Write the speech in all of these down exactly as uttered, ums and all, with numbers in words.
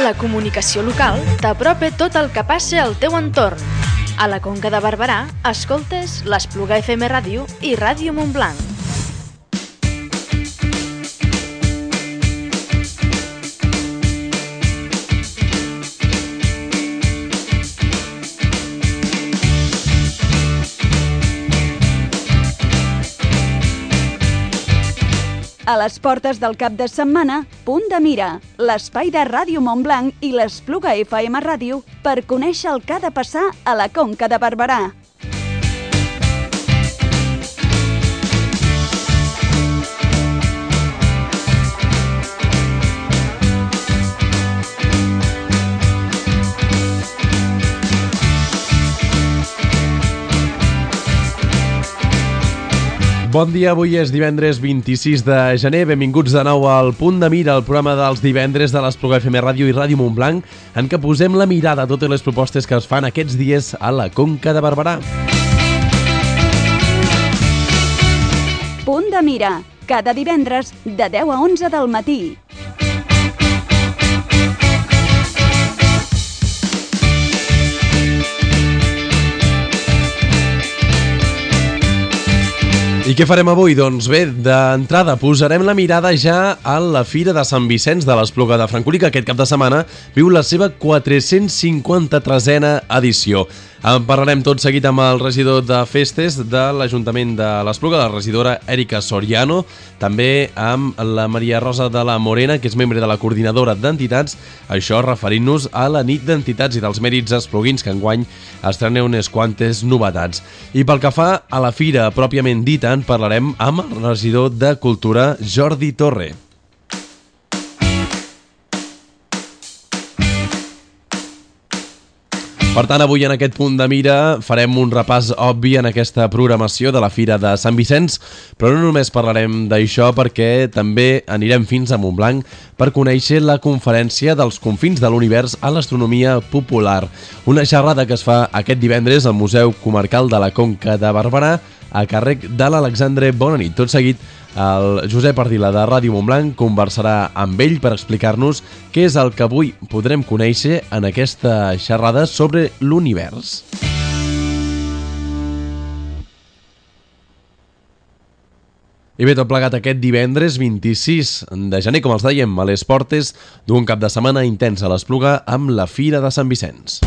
La comunicació local t'apropa tot el que passa al teu entorn. A la Conca de Barberà, escoltes l'Espluga F M Ràdio i Ràdio Montblanc. A les portes del cap de setmana, Punt de Mira, l'espai de Ràdio Montblanc i l'Espluga F M Ràdio per conèixer el que ha de passar a la Conca de Barberà. Bon dia, avui és divendres vint-i-sis de gener. Benvinguts de nou al Punt de Mira, el programa dels divendres de l'Espluga F M Ràdio i Ràdio Montblanc, en què posem la mirada a totes les propostes que es fan aquests dies a la Conca de Barberà. Punt de Mira, cada divendres de deu a onze del matí. I què farem avui? Doncs bé, d'entrada posarem la mirada ja a la Fira de Sant Vicenç de l'Espluga de Francolí, que aquest cap de setmana viu la seva quatre-cents cinquanta-tresena edició. En parlarem tot seguit amb el regidor de Festes de l'Ajuntament de l'Espluga, la regidora Èrica Soriano, també amb la Maria Rosa de la Morena, que és membre de la Coordinadora d'Entitats, això referint-nos a la nit d'entitats i dels mèrits espluguins, que enguany estrena unes quantes novetats. I pel que fa a la fira pròpiament dita, en parlarem amb el regidor de Cultura, Jordi Torre. Per tant, avui en aquest Punt de Mira farem un repàs obvi en aquesta programació de la Fira de Sant Vicenç, però no només parlarem d'això, perquè també anirem fins a Montblanc per conèixer la conferència dels confins de l'univers a l'astronomia popular. Una xerrada que es fa aquest divendres al Museu Comarcal de la Conca de Barberà a càrrec de l'Alexandre Bonanit. Tot seguit, el Josep Ardila de Ràdio Montblanc conversarà amb ell per explicar-nos què és el que avui podrem conèixer en aquesta xerrada sobre l'univers. I bé, tot plegat aquest divendres vint-i-sis de gener, com els dèiem, a les portes d'un cap de setmana intens a l'Espluga amb la Fira de Sant Vicenç.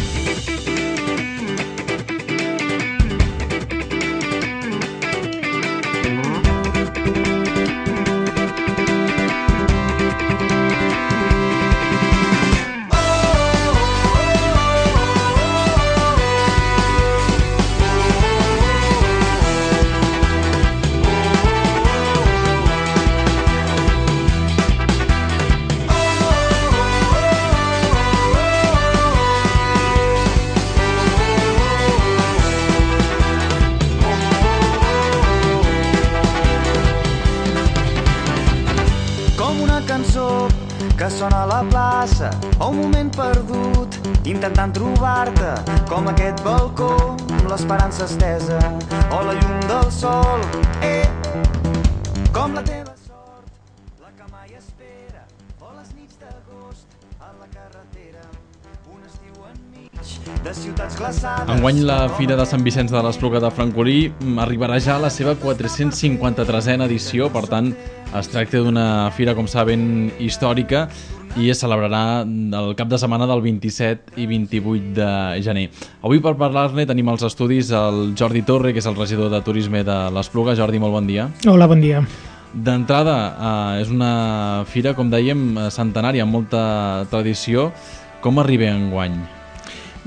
Intentant trobar-te com aquest balcó amb l'esperança estesa o la llum del sol, eh, com la teva sort, la que mai espera, o les nits d'agost a la carretera, un estiu enmig de ciutats glaçades. Enguany la Fira de Sant Vicenç de l'Espluga de Francolí arribarà ja a la seva quatre-cents cinquanta-tresena edició, per tant es tracta d'una fira, com saben, històrica, i es celebrarà el cap de setmana del vint-i-set i vint-i-vuit de gener. Avui per parlar-ne tenim als estudis el Jordi Torre, que és el regidor de Turisme de l'Espluga. Jordi, molt bon dia. Hola, bon dia. D'entrada, eh, és una fira, com dèiem, centenària, amb molta tradició. Com arriba enguany?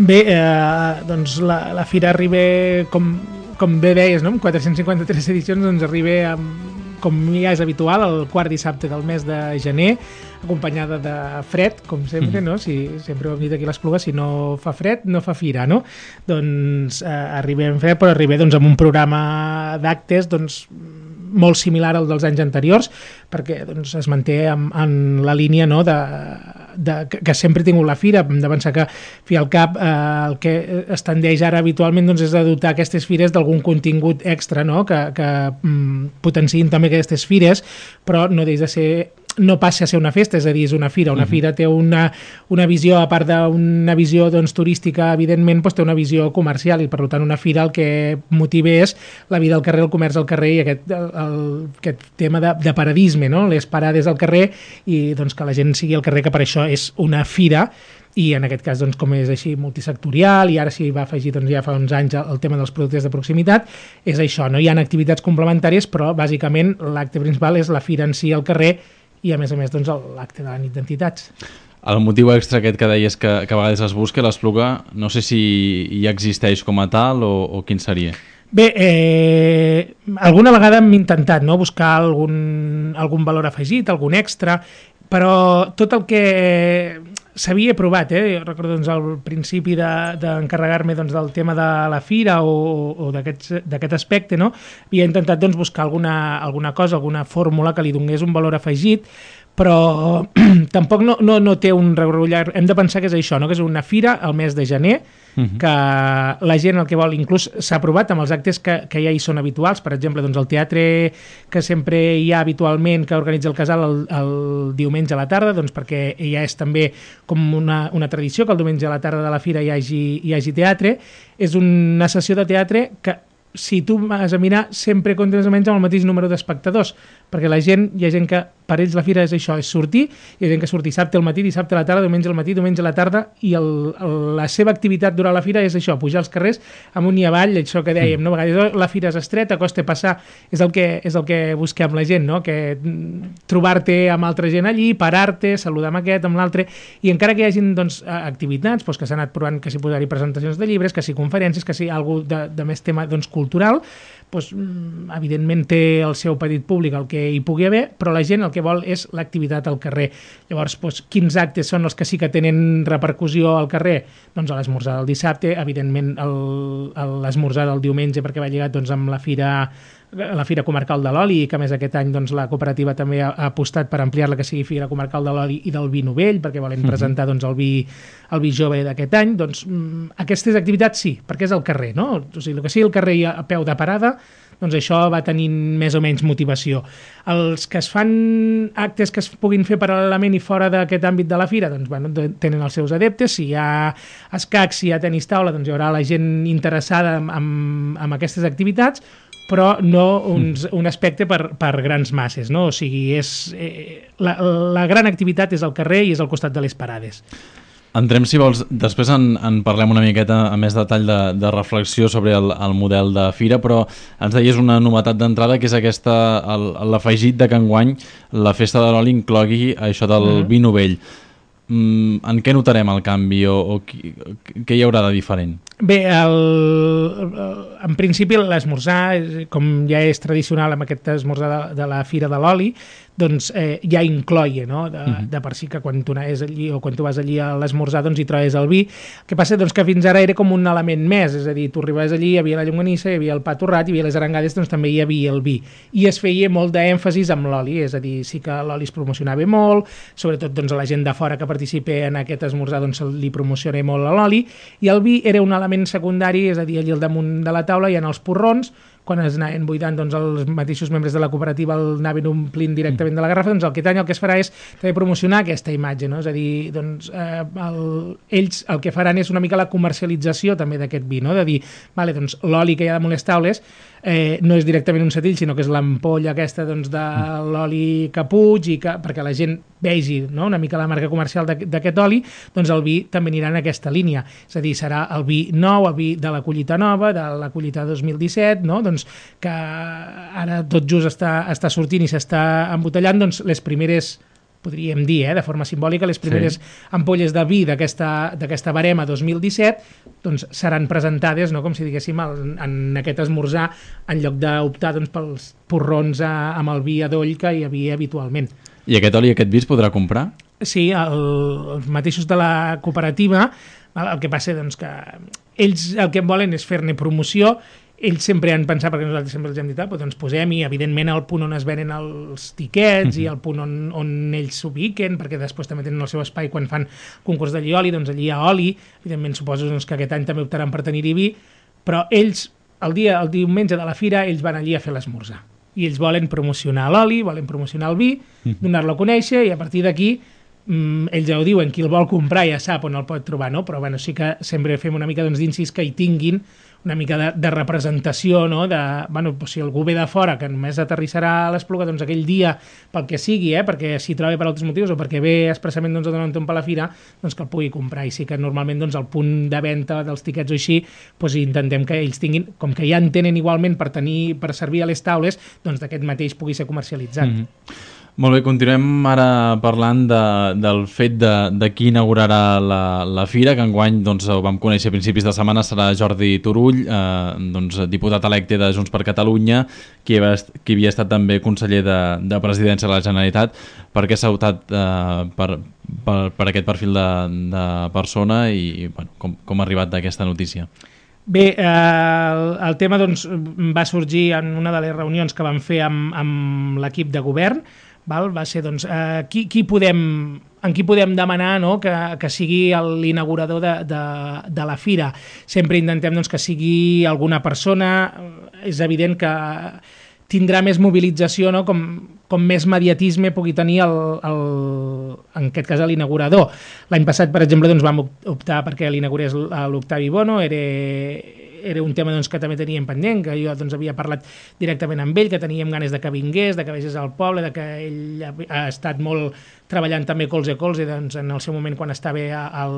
Bé, eh, doncs la, la fira arriba, com, com bé deies, no? Amb quatre-cents cinquanta-tres edicions, doncs arriba amb, com ja és habitual, el quart dissabte del mes de gener, acompanyada de fred, com sempre, mm. no? Si, sempre ho hem dit aquí a l'Espluga, si no fa fred, no fa fira, no? Doncs eh, arribem fred, però arribem doncs, amb un programa d'actes doncs, molt similar al dels anys anteriors, perquè doncs, es manté en, en la línia, no, de, de, que, que sempre ha tingut la fira. Hem de pensar que, fi al cap, eh, el que es tendeix ara habitualment doncs, és de dotar aquestes fires d'algun contingut extra, no? que, que mm, potenciïn també aquestes fires, però no deixa de ser no passa a ser una festa, és a dir, és una fira. Una uh-huh. fira té una, una visió, a part d'una visió doncs, turística, evidentment, doncs, té una visió comercial i, per tant, una fira el que motiva és la vida al carrer, el comerç al carrer i aquest, el, el, aquest tema de, de paradisme, no? Les parades al carrer i doncs, que la gent sigui al carrer, que per això és una fira. I en aquest cas, doncs, com és així multisectorial i ara s'hi va afegir doncs, ja fa uns anys el tema dels productes de proximitat, és això, no? Hi ha activitats complementàries, però bàsicament l'acte principal és la fira en si al carrer i a més a més doncs, l'acte de la nit d'entitats. El motiu extra aquest que deies que, que a vegades es busca, l'Espluga, no sé si hi existeix com a tal o, o quin seria? Bé, eh, alguna vegada hem intentat no? buscar algun, algun valor afegit, algun extra, però tot el que s'havia provat, eh? Jo recordo doncs, al principi d'encarregar-me de, doncs, del tema de la fira o, o d'aquest aspecte, no? Havia intentat doncs, buscar alguna, alguna cosa, alguna fórmula que li donés un valor afegit, però tampoc no, no, no té un regrullar. Hem de pensar que és això, no? Que és una fira al mes de gener, uh-huh. que la gent el que vol, inclús s'ha provat amb els actes que, que ja hi són habituals, per exemple, doncs el teatre que sempre hi ha habitualment, que organitza el Casal el, el diumenge a la tarda, doncs perquè ja és també com una, una tradició que el diumenge a la tarda de la fira hi hagi, hi hagi teatre. És una sessió de teatre que, si tu vas a mirar, sempre comptes menys amb el mateix número d'espectadors, perquè la gent, hi ha gent que per ells la fira és això, és sortir, hi ha gent que surt dissabte al matí, dissabte a la tarda, diumenge al matí, diumenge a la tarda, i el, el, la seva activitat durant la fira és això, pujar als carrers amunt i avall, això que dèiem, no? A vegades la fira és estreta, costa passar, és el que, és el que busquem la gent, no? Que trobar-te amb altra gent allí, parar-te, saludar amb aquest, amb l'altre, i encara que hi hagin doncs, activitats doncs, que s'han anat provant, que s'hi posar-hi presentacions de llibres, que s'hi conferències, que s'hi algú de, de més tema doncs, cultural, doncs, evidentment té el seu petit públic el que hi pugui haver, però la gent el que vol és l'activitat al carrer. Llavors, doncs, quins actes són els que sí que tenen repercussió al carrer? Doncs a l'esmorzar del dissabte, evidentment l'esmorzar del diumenge, perquè va lligat doncs, amb la fira la Fira Comarcal de l'Oli, i que a més aquest any doncs, la cooperativa també ha, ha apostat per ampliar-la que sigui Fira Comarcal de l'Oli i del vi novell, perquè volen presentar doncs, el, vi, el vi jove d'aquest any. Doncs aquestes activitats sí, perquè és al carrer, no? O sigui, el que sigui al carrer i a peu de parada, doncs això va tenint més o menys motivació. Els que es fan actes que es puguin fer paral·lelament i fora d'aquest àmbit de la fira, doncs bueno, tenen els seus adeptes. Si hi ha escacs, si hi ha tenis taula, doncs hi haurà la gent interessada en, en, en aquestes activitats, però no uns, un aspecte per, per grans masses, no? O sigui, és, eh, la, la gran activitat és al carrer i és al costat de les parades. Entrem, si vols, després en, en parlem una miqueta a més detall de, de reflexió sobre el, el model de fira, però ens deies una novetat d'entrada, que és aquesta, l'afegit de que enguany la festa de l'oli inclogui això del mm-hmm. vi novell. Mm, en què notarem el canvi o, o qui, què hi haurà de diferent? Bé, el, el, en principi l'esmorzar, com ja és tradicional amb aquest esmorzar de, de la Fira de l'Oli, doncs eh, ja incloia, no? De, uh-huh. de per si que quan tu anaves allí o quan tu vas allí a l'esmorzar doncs hi trobes el vi. El que passa doncs, que fins ara era com un element més, és a dir, tu arribaves allí, hi havia la llonganissa, hi havia el pa torrat, hi havia les arengades, doncs també hi havia el vi. I es feia molt d'èmfasis amb l'oli, és a dir, sí que l'oli es promocionava molt, sobretot doncs, a la gent de fora que participa en aquest esmorzar doncs, li promociona molt l'oli, i el vi era un element secundari, és a dir, allà al damunt de la taula hi ha els porrons, quan es anaven buidant doncs, els mateixos membres de la cooperativa el anaven omplint directament de la garrafa, doncs el que any el que es farà és també promocionar aquesta imatge, no? És a dir, doncs, eh, el, ells el que faran és una mica la comercialització també d'aquest vi, no? De dir, vale, doncs, l'oli que hi ha damunt les taules eh, no és directament un setrill, sinó que és l'ampolla aquesta doncs, de l'oli que puig, i que, perquè la gent vegi, no? Una mica la marca comercial d'aquest oli, doncs el vi també anirà en aquesta línia, és a dir, serà el vi nou, el vi de la collita nova, de la collita dos mil disset, no? Doncs que ara tot just està, està sortint i s'està embotellant, doncs les primeres, podríem dir, eh, de forma simbòlica, les primeres sí. ampolles de vi d'aquesta barema dos mil disset doncs seran presentades, no, com si diguéssim, en, en aquest esmorzar, en lloc d'optar doncs, pels porrons a, amb el vi adoll que hi havia habitualment. I aquest oli i aquest vi es podrà comprar? Sí, el, els mateixos de la cooperativa, el que passa doncs, que ells el que volen és fer-ne promoció. Ells sempre han pensat, perquè nosaltres sempre els hem dit, ah, doncs posem, i evidentment el punt on es venen els tiquets uh-huh. i el punt on, on ells s'ubiquen, perquè després també tenen el seu espai quan fan concurs de llioli, doncs allí hi ha oli, evidentment suposo doncs, que aquest any també optaran per tenir-hi vi, però ells, el dia, el diumenge de la fira, ells van allí a fer l'esmorzar. i ells volen promocionar l'oli, volen promocionar el vi, donar-lo a conèixer, i a partir d'aquí mm, ells ja ho diuen, qui el vol comprar ja sap on el pot trobar, no? Però bueno, sí que sempre fem una mica doncs, d'incís que hi tinguin una mica de, de representació, no? De, bueno, pues, si algú ve de fora que només aterrissarà a l'Espluga doncs, aquell dia pel que sigui, eh? Perquè s'hi troba per altres motius o perquè ve expressament doncs, a donar un tomb a la fira, doncs que el pugui comprar. I sí que normalment doncs, el punt de venda dels tiquets o així, doncs, intentem que ells tinguin, com que ja en tenen igualment per tenir per servir a les taules, doncs d'aquest mateix pugui ser comercialitzat. Mm-hmm. Molt bé, continuem ara parlant de, del fet de, de qui inaugurarà la, la fira, que enguany doncs, ho vam conèixer a principis de setmana, serà Jordi Turull, eh, doncs, diputat electe de Junts per Catalunya, qui, va, qui havia estat també conseller de, de Presidència de la Generalitat. Per què s'ha optat eh, per, per, per aquest perfil de, de persona i bueno, com, com ha arribat d'aquesta notícia? Bé, eh, el, el tema doncs, va sorgir en una de les reunions que vam fer amb, amb l'equip de govern. Val? Va ser, doncs, eh, qui, qui podem, en qui podem demanar, no? que, que sigui l'inaugurador de, de, de la fira. Sempre intentem doncs, que sigui alguna persona. És evident que tindrà més mobilització, no? com, com més mediatisme pugui tenir el, el, en aquest cas l'inaugurador. L'any passat, per exemple, doncs, vam optar perquè l'inaugurés l'Octavi Bono, era... era un tema doncs, que també teníem pendent, que jo doncs, havia parlat directament amb ell, que teníem ganes de que vingués, de que vegés al poble, de que ell ha estat molt treballant també colze a colze doncs, en el seu moment quan estava al,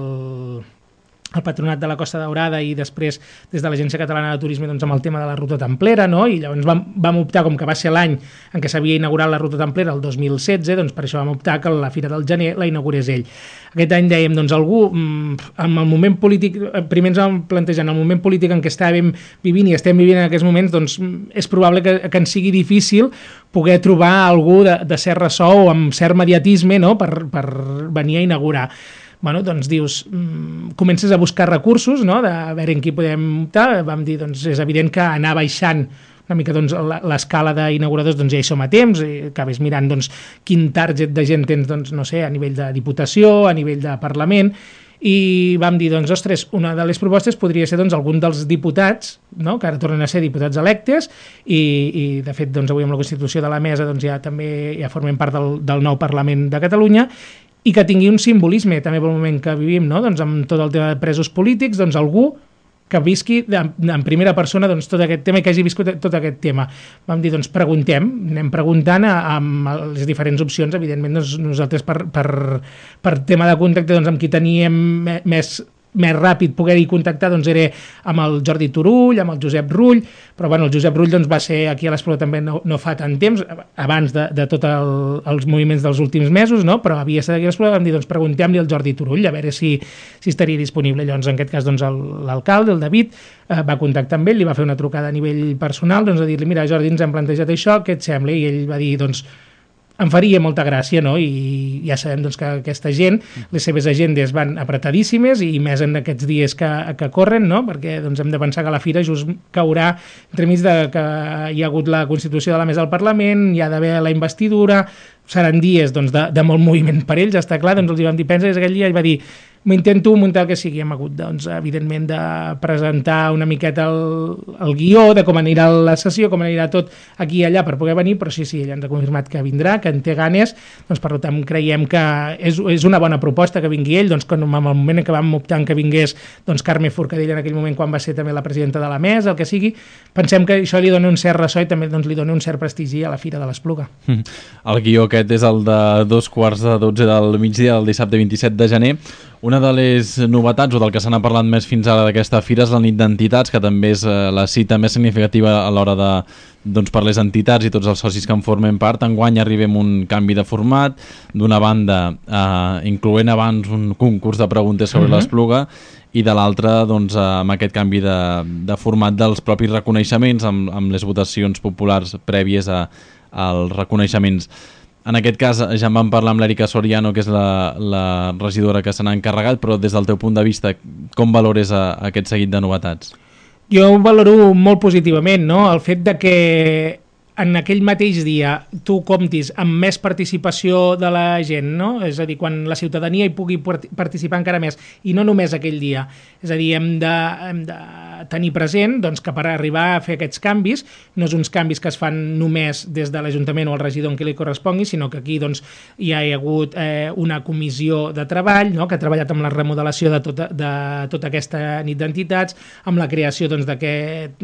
al Patronat de la Costa Daurada i després des de l'Agència Catalana de Turisme doncs, amb el tema de la Ruta Templera, no? I llavors vam, vam optar, com que va ser l'any en què s'havia inaugurat la Ruta Templera, el dos mil setze, doncs per això vam optar que la Fira del Gener la inaugurés ell. Aquest any dèiem, doncs algú, en el moment polític, primer ens vam plantejar, en el moment polític en què estàvem vivint i estem vivint en aquests moments, doncs és probable que, que ens sigui difícil poder trobar algú de, de cert ressò o amb cert mediatisme, no? per, per venir a inaugurar. Bueno, doncs dius, mmm, comences a buscar recursos, no? De a veure en qui podem optar. Vam dir, doncs és evident que anar baixant una mica doncs, l'escala d'inauguradors doncs, ja hi som a temps, i acabes mirant doncs, quin target de gent tens doncs, no sé, a nivell de diputació, a nivell de Parlament, i vam dir, doncs, ostres, una de les propostes podria ser doncs, algun dels diputats, no? Que ara tornen a ser diputats electes, i, i de fet doncs, avui amb la Constitució de la Mesa doncs, ja també ja formem part del, del nou Parlament de Catalunya, i que tingui un simbolisme també pel moment que vivim, no? Doncs amb tot el tema de presos polítics, doncs algú que visqui en primera persona doncs, tot aquest tema i que hagi viscut tot aquest tema. Vam dir, doncs preguntem, anem preguntant amb les diferents opcions, evidentment doncs, nosaltres per, per, per tema de contacte doncs, amb qui teníem més més ràpid poder-hi contactar doncs era amb el Jordi Turull, amb el Josep Rull, però bueno, el Josep Rull doncs, va ser aquí a l'Espluga també no, no fa tant temps, abans de, de tots el, els moviments dels últims mesos, no? Però havia estat aquí a l'Espluga, vam dir, doncs preguntem-li al Jordi Turull a veure si, si estaria disponible. Llavors, en aquest cas, doncs, l'alcalde, el David, eh, va contactar amb ell, li va fer una trucada a nivell personal, doncs, a dir-li, mira, Jordi, ens hem plantejat això, què et sembla? I ell va dir, doncs, em faria molta gràcia, no? I ja sabem doncs, que aquesta gent, les seves agendes van apretadíssimes i més en aquests dies que, que corren, no? Perquè doncs, hem de pensar que la fira just caurà entremig de que hi ha hagut la Constitució de la Mesa del Parlament, hi ha d'haver la investidura, seran dies doncs, de, de molt moviment per ells, està clar, doncs els hi vam dir, pensa, és aquell dia, ell va dir, m'intento muntar el que sigui, hem hagut, doncs, evidentment, de presentar una miqueta el, el guió de com anirà la sessió, com anirà tot aquí i allà per poder venir, però sí, sí, ell ens ha confirmat que vindrà, que en té ganes, doncs per tant creiem que és, és una bona proposta que vingui ell, doncs com en el moment en què vam optar que vingués doncs Carme Forcadell en aquell moment quan va ser també la presidenta de la mesa, el que sigui, pensem que això li dona un cert ressò i també doncs, li dona un cert prestigi a la Fira de l'Espluga. El guió aquest és el de dos quarts de dotze del migdia del dissabte vint-i-set de gener. Una de les novetats, o del que se n'ha parlat més fins ara d'aquesta fira, és la nit d'entitats, que també és la cita més significativa a l'hora de, doncs, per les entitats i tots els socis que en formen part. Enguany arribem un canvi de format, d'una banda eh, incloent abans un concurs de preguntes sobre mm-hmm. l'Espluga, i de l'altra doncs, amb aquest canvi de, de format dels propis reconeixements, amb, amb les votacions populars prèvies a, als reconeixements. En aquest cas ja en vam parlar amb l'Èrica Soriano, que és la, la regidora que se n'ha encarregat, però des del teu punt de vista, com valores a, a aquest seguit de novetats? Jo ho valoro molt positivament, no? El fet de que en aquell mateix dia tu comptis amb més participació de la gent, no? És a dir, quan la ciutadania hi pugui participar encara més, i no només aquell dia. És a dir, hem de, hem de tenir present doncs, que per arribar a fer aquests canvis no és uns canvis que es fan només des de l'Ajuntament o el regidor en qui li correspongui, sinó que aquí doncs, hi ha hagut eh, una comissió de treball, no? Que ha treballat amb la remodelació de tota, de tota aquesta nit d'entitats, amb la creació doncs, d'aquest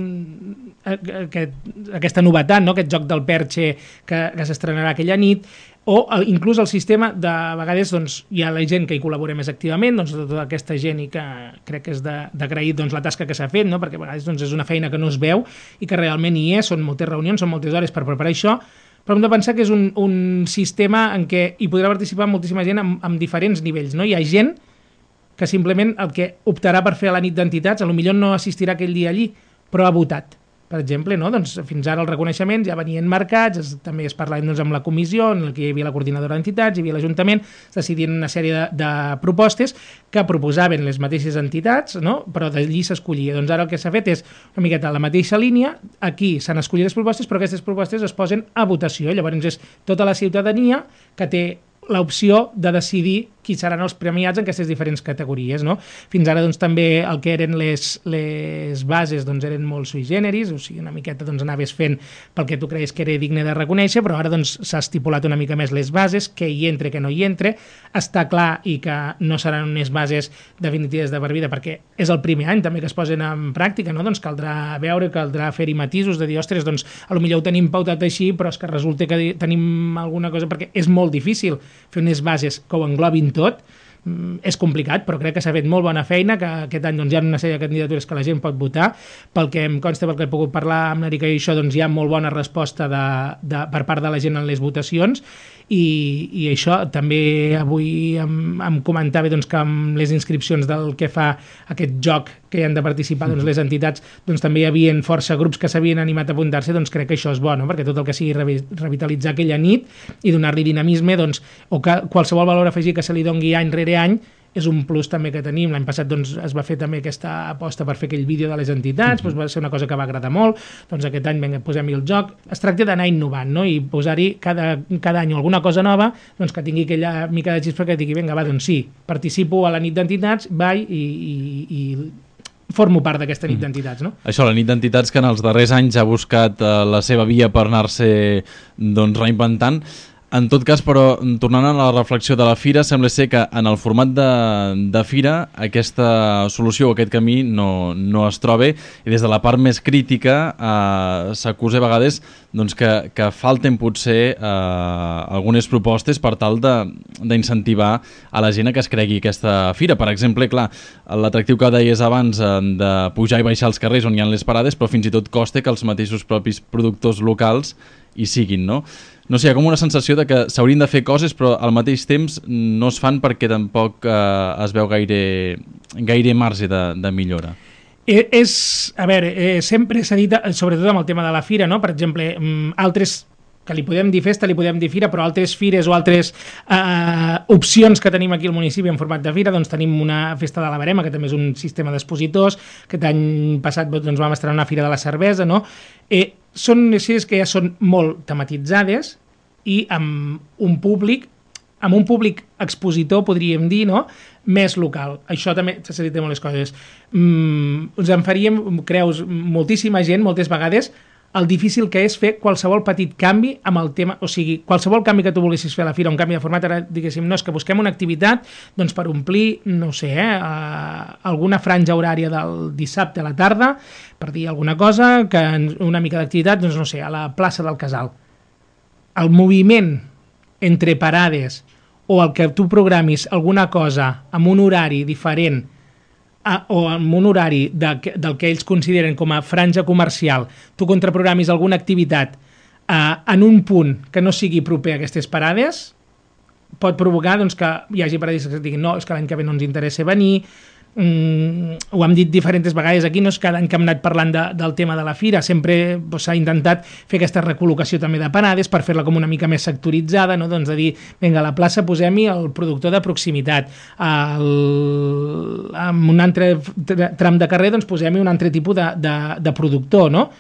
aquest, aquesta novetat, no? Aquest joc del perxe que, que s'estrenarà aquella nit, o el, inclús el sistema, de vegades doncs, hi ha la gent que hi col·labora més activament, doncs, tota aquesta gent, i que crec que és d'agrair doncs, la tasca que s'ha fet, no? Perquè a vegades doncs, és una feina que no es veu i que realment hi és, són moltes reunions, són moltes hores per preparar això, però hem de pensar que és un, un sistema en què hi podrà participar moltíssima gent amb, amb diferents nivells, no? Hi ha gent que simplement el que optarà per fer a la nit d'entitats, potser no assistirà aquell dia allí, però ha votat, per exemple, no? Doncs fins ara els reconeixements ja venien marcats, es, també es parlava doncs, amb la comissió, en què hi havia la coordinadora d'entitats, hi havia l'Ajuntament, es decidien una sèrie de, de propostes que proposaven les mateixes entitats, no? Però d'allí s'escollia. Doncs ara el que s'ha fet és una miqueta la mateixa línia, aquí s'han escollit les propostes, però aquestes propostes es posen a votació, llavors és tota la ciutadania que té l'opció de decidir qui seran els premiats en aquestes diferents categories, no? Fins ara doncs, també el que eren les, les bases doncs, eren molt sui generis, o sigui, una miqueta doncs, anaves fent pel que tu creies que era digne de reconèixer, però ara doncs, s'ha estipulat una mica més les bases, què hi entre, què no hi entre, està clar i que no seran unes bases definitives de per vida, perquè és el primer any també que es posen en pràctica, no? Doncs caldrà veure, caldrà fer-hi matisos, de dir, ostres, doncs potser ho tenim pautat així, però és que resulta que tenim alguna cosa, perquè és molt difícil fer unes bases que ho englobin tot, és complicat, però crec que s'ha fet molt bona feina, que aquest any doncs, hi ha una sèrie de candidatures que la gent pot votar, pel que em consta, pel que he pogut parlar amb l'Erika i això, doncs hi ha molt bona resposta de, de, per part de la gent en les votacions, i, i això també avui em, em comentava doncs, que amb les inscripcions del que fa aquest joc que hi han de participar doncs, les entitats, doncs també hi havia força grups que s'havien animat a apuntar-se, doncs crec que això és bo, no? Perquè tot el que sigui revitalitzar aquella nit i donar-li dinamisme, doncs, o que qualsevol valor afegit que se li dongui any rere any, és un plus també que tenim. L'any passat doncs, es va fer també aquesta aposta per fer aquell vídeo de les entitats, doncs va ser una cosa que va agradar molt, doncs aquest any vinga, posem-hi el joc. Es tracta d'anar innovant, no? I posar-hi cada, cada any alguna cosa nova, doncs que tingui aquella mica de xispa que digui, vinga, va, doncs sí, participo a la nit d'entitats, vaig i, i, i formo part d'aquesta nit d'entitats, no? Això, la nit d'entitats que en els darrers anys ha buscat eh, la seva via per anar-se doncs, reinventant. En tot cas, però, tornant a la reflexió de la Fira, sembla ser que en el format de, de Fira aquesta solució o aquest camí no, no es troba, i des de la part més crítica eh, s'acusa a vegades doncs, que, que falten potser eh, algunes propostes per tal d'incentivar a la gent a que es cregui aquesta Fira. Per exemple, clar, l'atractiu que deies abans eh, de pujar i baixar als carrers on hi ha les parades, però fins i tot costa que els mateixos propis productors locals hi siguin, no? No sé, hi ha com una sensació de que s'haurien de fer coses, però al mateix temps no es fan perquè tampoc eh, es veu gaire, gaire marge de, de millora. Eh, és, a veure, eh, sempre s'ha dit, sobretot amb el tema de la Fira, no? Per exemple, altres, que li podem dir festa, li podem dir Fira, però altres fires o altres eh, opcions que tenim aquí al municipi en format de Fira, doncs tenim una festa de la Verema, que també és un sistema d'expositors, que l'any passat doncs, vam estrenar una Fira de la Cervesa, no? Eh, són fires que ja són molt tematitzades i amb un públic, amb un públic expositor, podríem dir, no? Més local. Això també s'ha dit de moltes coses. Mm, ens en faríem, creus, moltíssima gent, moltes vegades, el difícil que és fer qualsevol petit canvi amb el tema, o sigui, qualsevol canvi que tu volguessis fer a la Fira, un canvi de format, ara diguéssim, no, és que busquem una activitat doncs per omplir, no sé, eh, alguna franja horària del dissabte a la tarda, per dir alguna cosa, que una mica d'activitat, doncs no sé, a la plaça del Casal. El moviment entre parades o el que tu programis alguna cosa amb un horari diferent a, o amb un horari de, del que ells consideren com a franja comercial, tu contraprogramis alguna activitat eh, en un punt que no sigui proper a aquestes parades, pot provocar doncs, que hi hagi parades que diguin no, és que l'any que ve no ens interessa venir. Mm, ho hem dit diferents vegades aquí, no és cada any que hem anat parlant de, del tema de la Fira, sempre doncs, s'ha intentat fer aquesta recol·locació també de parades per fer-la com una mica més sectoritzada, no? Doncs de dir, vinga, a la plaça posem-hi el productor de proximitat, el, en un altre tram de carrer doncs posem-hi un altre tipus de, de, de productor, no?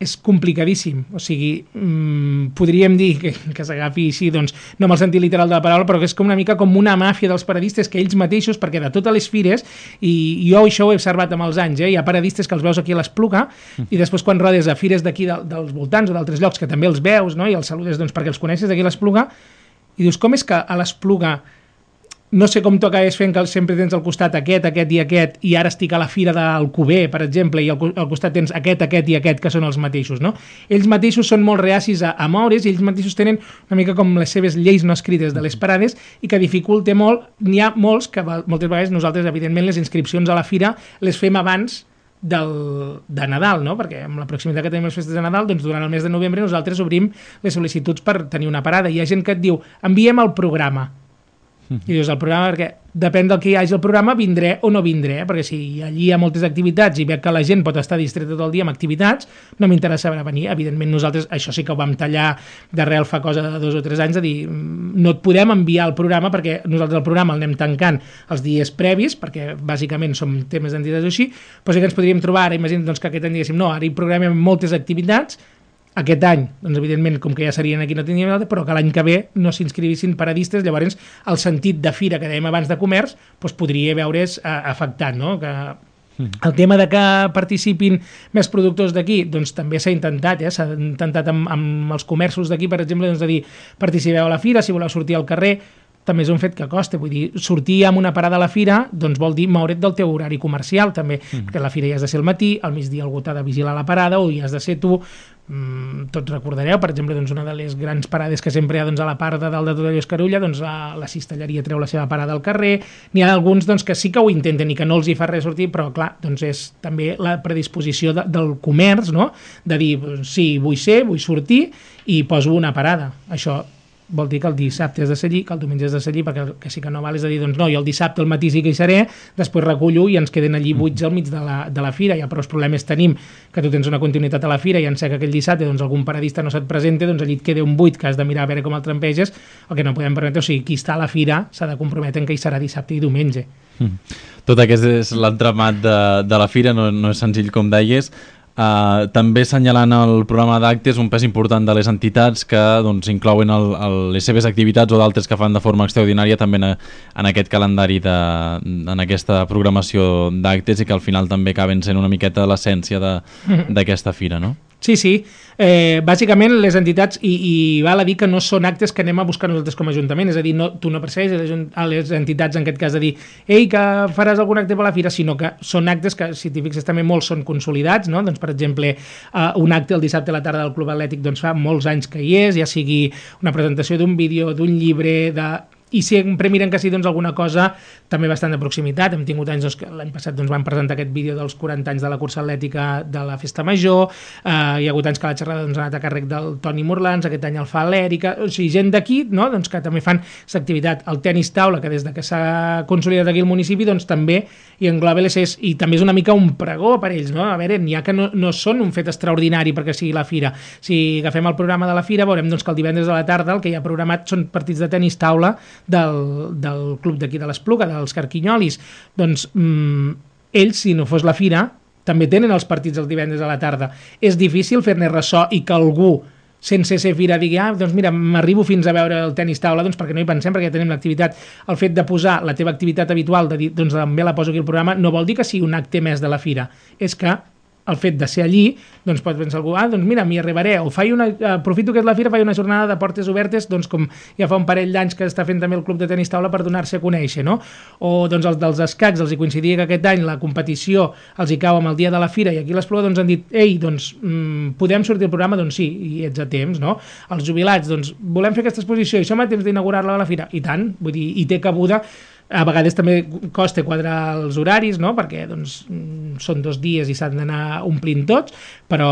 és complicadíssim, o sigui, mmm, podríem dir que, que s'agafi així, doncs, no amb el sentit literal de la paraula, però que és com una mica com una màfia dels paradistes que ells mateixos, perquè de totes les fires, i jo això ho he observat amb els anys, eh, hi ha paradistes que els veus aquí a l'Espluga, i després quan rodes a fires d'aquí de, dels voltants o d'altres llocs, que també els veus, no?, i els saludes doncs, perquè els coneixes d'aquí a l'Espluga, i dius, com és que a l'Espluga no sé com tu acabes fent que sempre tens al costat aquest, aquest i aquest, i ara estic a la fira d'Alcover, per exemple, i al, al costat tens aquest, aquest i aquest, que són els mateixos, no? Ells mateixos són molt reacis a, a moure's, i ells mateixos tenen una mica com les seves lleis no escrites de les parades, i que dificulta molt. N'hi ha molts que moltes vegades nosaltres, evidentment, les inscripcions a la fira les fem abans del, de Nadal, no? Perquè amb la proximitat que tenim les festes de Nadal, doncs durant el mes de novembre nosaltres obrim les sol·licituds per tenir una parada. Hi ha gent que et diu, enviem el programa. I dius, el programa, perquè depèn del que hi hagi el programa, vindré o no vindré, eh? Perquè si allí hi ha moltes activitats i veig que la gent pot estar distreta tot el dia amb activitats, no m'interessa venir. Evidentment nosaltres això sí que ho vam tallar d'arrel fa cosa de dos o tres anys, de dir, no et podem enviar el programa perquè nosaltres el programa el anem tancant els dies previs, perquè bàsicament som temes d'entitats així, però sí que ens podríem trobar, ara imagina't doncs, que aquest any diguéssim, no, ara hi programem moltes activitats. Aquest any, doncs evidentment, com que ja serien aquí no tindríem l'altre, però que l'any que ve no s'inscrivissin paradistes, llavors el sentit de fira que dèiem abans de comerç doncs podria veure's eh, afectat, no? Que el tema de que participin més productors d'aquí, doncs també s'ha intentat, eh? S'ha intentat amb, amb els comerços d'aquí, per exemple, doncs, de dir, participeu a la fira, si voleu sortir al carrer, també és un fet que costa, vull dir, sortir amb una parada a la fira doncs vol dir moure't del teu horari comercial també, mm. perquè a la fira hi has de ser al matí, al migdia algú t'ha de vigilar la parada o hi has de ser tu. Mm, tots recordareu, per exemple, doncs una de les grans parades que sempre hi ha doncs, a la part de dalt de tot allò Escarulla, doncs la, la cistelleria treu la seva parada al carrer, n'hi ha alguns doncs, que sí que ho intenten i que no els hi fa res sortir, però clar, doncs és també la predisposició de, del comerç, no? De dir, sí, vull ser, vull sortir i poso una parada. Això vol dir que el dissabte has de ser allí, que el diumenge has de ser allí, perquè el que sí que no val és a dir, doncs no, jo el dissabte al matí sí que hi seré, després recullo i ens queden allí buits al mig de la, de la fira. Ja prou problemes tenim que tu tens una continuïtat a la fira i en sé que aquell dissabte doncs, algun paradista no se't presenta, doncs allí et queda un buit que has de mirar a veure com el trampeges, el que no podem permetre, o sigui, qui està a la fira s'ha de comprometre en que hi serà dissabte i diumenge. Mm. Tot aquest és l'entramat de, de la fira, no, no és senzill com deies. Uh, també assenyalant el programa d'actes un pes important de les entitats que doncs, inclouen el, el, les seves activitats o d'altres que fan de forma extraordinària també en, en aquest calendari de, en aquesta programació d'actes i que al final també acaben sent una miqueta l'essència d'aquesta fira, no? Sí, sí. Eh, bàsicament les entitats, i, i val a dir que no són actes que anem a buscar nosaltres com a Ajuntament, és a dir, no, tu no perseguis a les entitats en aquest cas de dir ei, que faràs algun acte per la fira, sinó que són actes que, si t'hi fixes també molts són consolidats, no? Doncs per exemple eh, un acte el dissabte a la tarda del Club Atlètic doncs fa molts anys que hi és, ja sigui una presentació d'un vídeo, d'un llibre, de... i sempre miren que sí doncs, alguna cosa també bastant de proximitat. Hem tingut anys, doncs, que l'any passat doncs, van presentar aquest vídeo dels quaranta anys de la cursa atlètica de la Festa Major, eh, hi ha hagut anys que la xerrada doncs, ha anat a càrrec del Toni Morlans, aquest any el fa l'Èrica, o sigui, gent d'aquí, no? Doncs, que també fan aquesta activitat. El tenis taula, que des de que s'ha consolidat aquí el municipi, doncs també hi engloba les és, i també és una mica un pregó per ells, no? A veure, n'hi ha que no, no són un fet extraordinari perquè sigui la fira. Si agafem el programa de la fira, veurem doncs, que el divendres a la tarda el que hi ha programat són partits de tenis taula del, del club d'aquí de l'Espluga, dels Carquinyolis. Doncs mmm, ells, si no fos la fira, també tenen els partits el divendres a la tarda. És difícil fer-ne ressò i que algú, sense ser fira, digui, ah, doncs mira, m'arribo fins a veure el tenis taula, doncs perquè no hi pensem, perquè ja tenim l'activitat. El fet de posar la teva activitat habitual, de dir, doncs també la poso aquí al programa, no vol dir que sigui un acte més de la fira. És que el fet de ser allí, doncs pot pensar algú, ah, doncs mira, m'hi arribaré, o faig una, aprofito que és la fira, faig una jornada de portes obertes, doncs com ja fa un parell d'anys que està fent també el club de tenis taula per donar-se a conèixer, no? O doncs els dels escacs, els hi coincidia que aquest any la competició els hi cau amb el dia de la fira i aquí l'Espluga doncs han dit, ei, doncs mmm, podem sortir al programa? Doncs sí, i ets a temps, no? Els jubilats, doncs volem fer aquesta exposició i som a temps d'inaugurar-la a la fira, i tant, vull dir, i té cabuda. A vegades també costa quadrar els horaris, no? Perquè doncs, són dos dies i s'han d'anar omplint tots, però,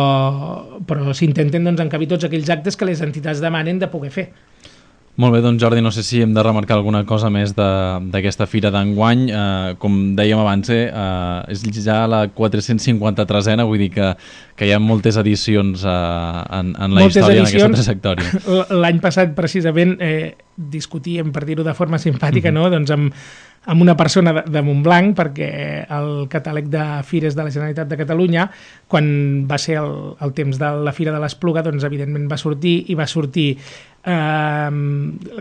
però s'intenten doncs, encabir tots aquells actes que les entitats demanen de poder fer. Molt bé, doncs Jordi, no sé si hem de remarcar alguna cosa més d'aquesta fira d'enguany. Eh, com dèiem abans, eh, és ja la quatre-cents cinquanta-tresena, vull dir que, que hi ha moltes edicions eh, en, en la moltes història, edicions, en aquesta trajectòria. L'any passat, precisament, eh, discutíem, per dir-ho de forma simpàtica, mm-hmm. no? Doncs amb, amb una persona de, de Montblanc, perquè el catàleg de fires de la Generalitat de Catalunya, quan va ser el, el temps de la Fira de l'Espluga, doncs evidentment va sortir i va sortir eh,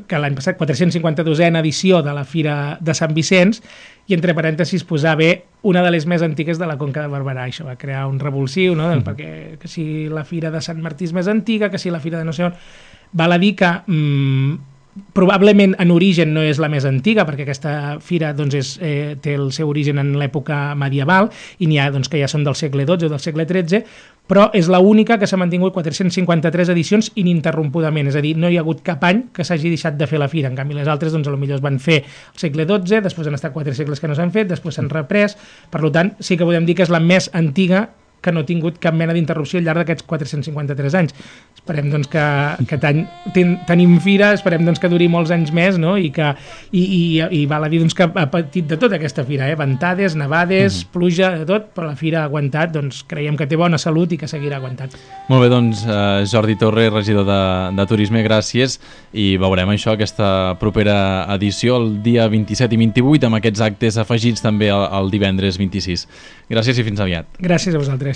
que l'any passat quatre-cents cinquanta-dosena edició de la Fira de Sant Vicenç, i entre parèntesis posava una de les més antigues de la Conca de Barberà. Això va crear un revulsiu, no? Mm. Perquè que si la Fira de Sant Martí és més antiga, que si la Fira de no sé on... Val a dir que mm, probablement en origen no és la més antiga, perquè aquesta fira doncs, és, eh, té el seu origen en l'època medieval, i n'hi ha doncs, que ja són del segle dotze o del segle tretze, però és l'única que s'ha mantingut quatre-cents cinquanta-tres edicions ininterrompudament, és a dir, no hi ha hagut cap any que s'hagi deixat de fer la fira. En canvi, les altres doncs, potser es van fer al segle dotze, després han estat quatre segles que no s'han fet, després s'han reprès, per tant, sí que podem dir que és la més antiga que no ha tingut cap mena d'interrupció al llarg d'aquests quatre-cents cinquanta-tres anys. Esperem doncs, que, que ten, ten, tenim fira, esperem doncs, que duri molts anys més, no? I, que, i, i, i val a dir doncs, que ha patit de tot aquesta fira, eh? Ventades, nevades, mm. pluja, de tot, però la fira ha aguantat, doncs creiem que té bona salut i que seguirà aguantant. Molt bé, doncs eh, Jordi Torre, regidor de, de Turisme, gràcies, i veurem això, aquesta propera edició el dia vint-i-set i vint-i-vuit, amb aquests actes afegits també el, el divendres vint-i-sis. Gràcies i fins aviat. Gràcies a vosaltres.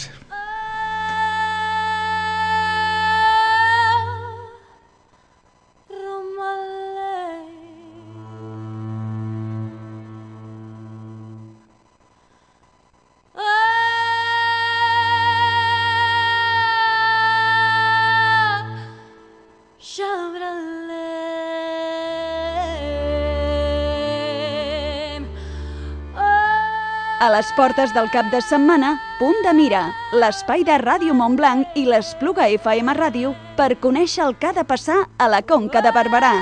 A les portes del cap de setmana, Punt de Mira, l'espai de Ràdio Montblanc i l'Espluga F M Ràdio per conèixer el que ha de passar a la Conca de Barberà.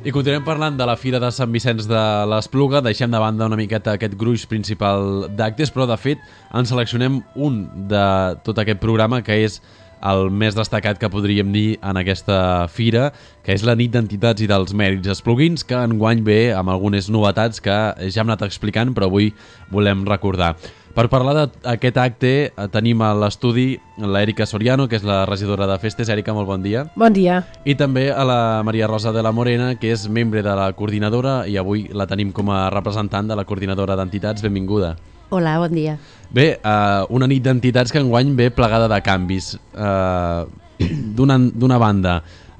I continuem parlant de la Fira de Sant Vicenç de l'Espluga. Deixem de banda una miqueta aquest gruix principal d'actes, però de fet en seleccionem un de tot aquest programa que és el més destacat que podríem dir en aquesta fira, que és la nit d'entitats i dels mèrits espluguins, que enguany ve amb algunes novetats que ja hem anat explicant, però avui volem recordar. Per parlar d'aquest acte tenim a l'estudi l'Èrica Soriano, que és la regidora de festes. Èrica, molt bon dia. Bon dia. I també a la Maria Rosa de la Morena, que és membre de la coordinadora i avui la tenim com a representant de la coordinadora d'entitats. Benvinguda. Hola, bon dia. Bé, uh, una nit d'entitats que enguany ve plegada de canvis. Uh, D'una banda,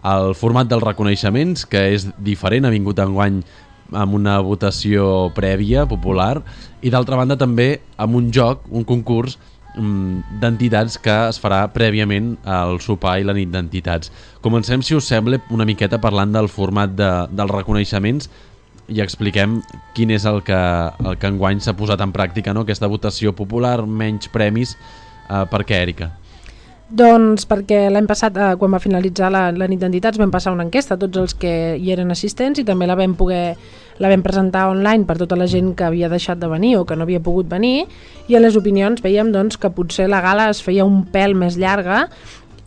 el format dels reconeixements, que és diferent, ha vingut enguany amb una votació prèvia, popular, i d'altra banda també amb un joc, un concurs um, d'entitats que es farà prèviament al sopar i la nit d'entitats. Comencem, si us sembla, una miqueta parlant del format de, dels reconeixements i expliquem quin és el que, el que enguany s'ha posat en pràctica, no? Aquesta votació popular, menys premis. Uh, per què, Èrica? Doncs perquè l'any passat, eh, quan va finalitzar la, la nit d'entitats, vam passar una enquesta a tots els que hi eren assistents i també la vam poder la vam presentar online per tota la gent que havia deixat de venir o que no havia pogut venir, i a les opinions veiem doncs, que potser la gala es feia un pèl més llarga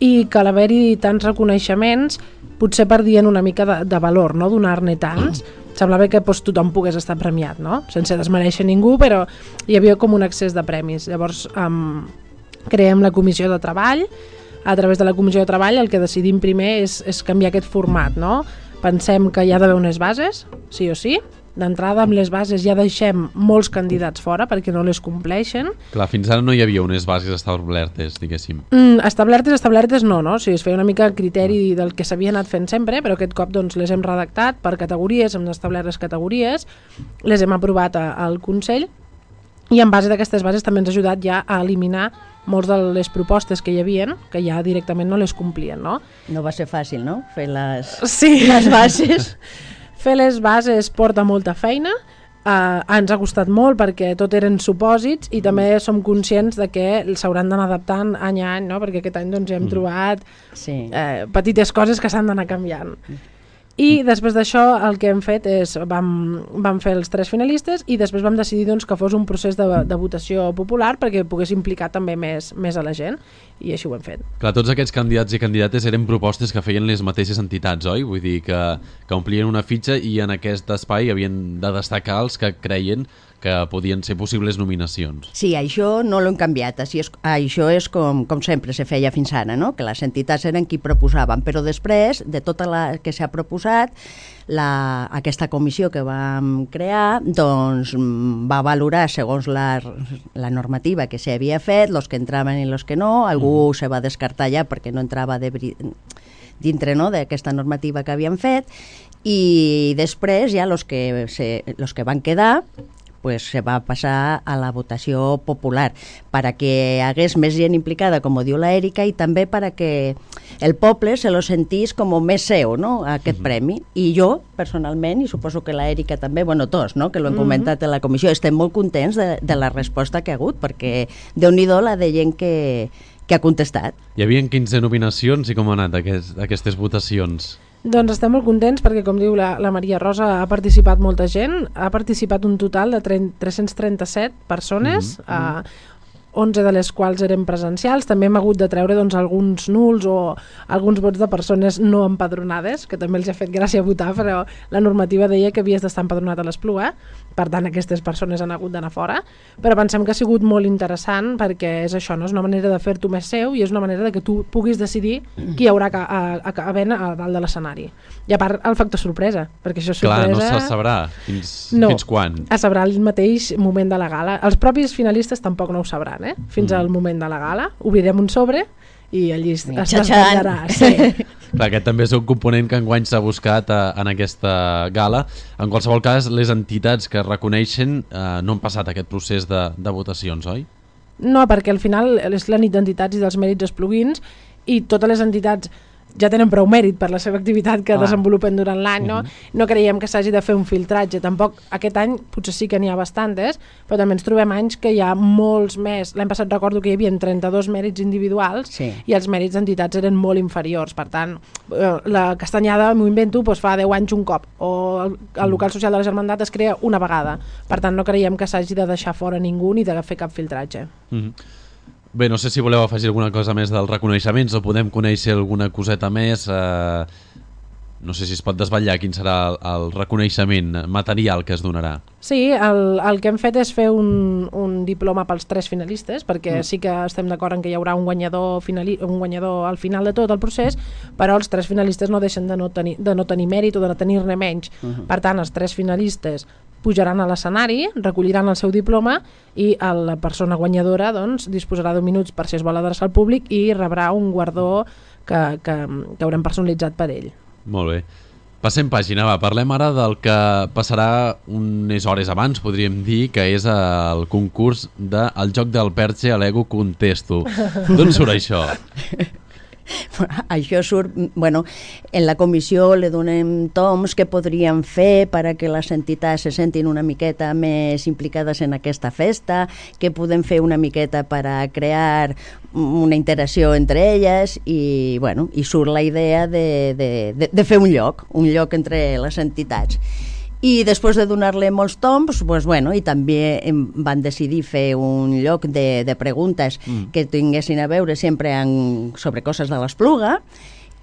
i que a l'haver-hi tants reconeixements potser perdien una mica de, de valor, no? Donar-ne tants. Semblava que doncs, tothom pogués estar premiat, no? Sense desmereixer ningú, però hi havia com un excés de premis. Llavors, um, creem la comissió de treball. A través de la comissió de treball el que decidim primer és, és canviar aquest format, no? Pensem que hi ha d'haver unes bases, sí o sí. D'entrada, amb les bases ja deixem molts candidats fora perquè no les compleixen. Clar, fins ara no hi havia unes bases establertes, diguéssim. Mm, establertes, establertes no, no? O sigui, es feia una mica el criteri del que s'havia anat fent sempre, però aquest cop doncs, les hem redactat per categories, hem establert les categories, les hem aprovat a, al Consell, i en base d'aquestes bases també ens ha ajudat ja a eliminar molts de les propostes que hi havien, que ja directament no les complien, no? No va ser fàcil, no?, fer les, sí. les bases. Fer les bases porta molta feina, uh, ens ha costat molt perquè tot eren supòsits i també som conscients de que s'hauran d'anar adaptant any a any, no?, perquè aquest any doncs, ja hem trobat sí. eh, petites coses que s'han d'anar canviant. I després d'això el que hem fet és vam, vam fer els tres finalistes i després vam decidir doncs, que fos un procés de, de votació popular perquè pogués implicar també més, més a la gent i així ho hem fet. Clar, tots aquests candidats i candidates eren propostes que feien les mateixes entitats, oi? Vull dir que, que omplien una fitxa i en aquest espai havien de destacar els que creien que podien ser possibles nominacions. Sí, això no l'hem canviat. Així és, això és com, com sempre se feia fins ara, no? Que les entitats eren qui proposaven, però després, de tota la que s'ha proposat, la, aquesta comissió que vam crear doncs, va valorar segons la, la normativa que s'havia fet, els que entraven i els que no, algú mm. se va descartar ja perquè no entrava de, dintre no, d'aquesta normativa que havíem fet, i després ja els que, se, los que van quedar pues se va passar a la votació popular para que hagués més gent implicada, com diu la Èrica, i també para que el poble se lo sentís com més seu, no?, aquest uh-huh. premi. I jo, personalment, i suposo que la Èrica també, bueno, tots, no?, que l'hem uh-huh. comentat en la comissió, estem molt contents de, de la resposta que ha hagut, perquè Déu-n'hi-do la de gent que, que ha contestat. Hi havia quinze nominacions i com han anat aquest, aquestes votacions? Doncs estem molt contents perquè, com diu la, la Maria Rosa, ha participat molta gent, ha participat un total de tres-cents trenta-set persones, mm-hmm. a onze de les quals eren presencials. També hem hagut de treure doncs, alguns nuls o alguns vots de persones no empadronades, que també els ha fet gràcia votar, però la normativa deia que havies d'estar empadronat a l'Espluga, per tant aquestes persones han hagut d'anar fora, però pensem que ha sigut molt interessant perquè és això, no? És una manera de fer-t'ho més seu i és una manera de que tu puguis decidir qui hi haurà a, a, a, a ben a dalt de l'escenari. I a part el factor sorpresa, perquè això és sorpresa... Clar, no se sabrà fins, no, fins quan. Es sabrà el mateix moment de la gala. Els propis finalistes tampoc no ho sabran, eh? Fins mm. al moment de la gala. Obrirem un sobre i allí es desvetllarà. Sí. Clar, aquest també és un component que enguany s'ha buscat eh, en aquesta gala. En qualsevol cas, les entitats que es reconeixen eh, no han passat aquest procés de, de votacions, oi? No, perquè al final és la nit d'entitats i dels mèrits espluguins i totes les entitats ja tenen prou mèrit per la seva activitat que ah. desenvolupen durant l'any, no? Uh-huh. No creiem que s'hagi de fer un filtratge, tampoc aquest any potser sí que n'hi ha bastantes, però també ens trobem anys que hi ha molts més. L'any passat recordo que hi havia trenta-dos mèrits individuals sí. i els mèrits d'entitats eren molt inferiors, per tant la Castanyada, m'ho invento, doncs fa deu anys un cop, o el, el local social de la Germandat es crea una vegada, per tant no creiem que s'hagi de deixar fora ningú ni de fer cap filtratge. Uh-huh. Bé, no sé si voleu afegir alguna cosa més dels reconeixements o podem conèixer alguna coseta més. Eh, no sé si es pot desvetllar quin serà el, el reconeixement material que es donarà. Sí, el, el que hem fet és fer un, un diploma pels tres finalistes, perquè mm. sí que estem d'acord en que hi haurà un guanyador, finali, un guanyador al final de tot el procés, però els tres finalistes no deixen de no tenir, de no tenir mèrit o de no tenir-ne menys. Mm-hmm. Per tant, els tres finalistes pujaran a l'escenari, recolliran el seu diploma i la persona guanyadora doncs, disposarà d'un minuts per si es vol adreçar al públic i rebrà un guardó que, que, que haurem personalitzat per ell. Molt bé. Passem pàgina, va. Parlem ara del que passarà unes hores abans, podríem dir, que és el concurs del de joc del Perche a l'Ego Contesto. D'on surt això? Això surt, bueno, en la comissió le donem toms que podríem fer per a que les entitats se sentin una miqueta més implicades en aquesta festa, que podem fer una miqueta per a crear una interacció entre elles i, bueno, i surt la idea de, de, de, de fer un lloc, un lloc entre les entitats. I després de donar-li molts toms, pues, bueno, i també van decidir fer un lloc de, de preguntes mm. que tinguessin a veure sempre en, sobre coses de l'Espluga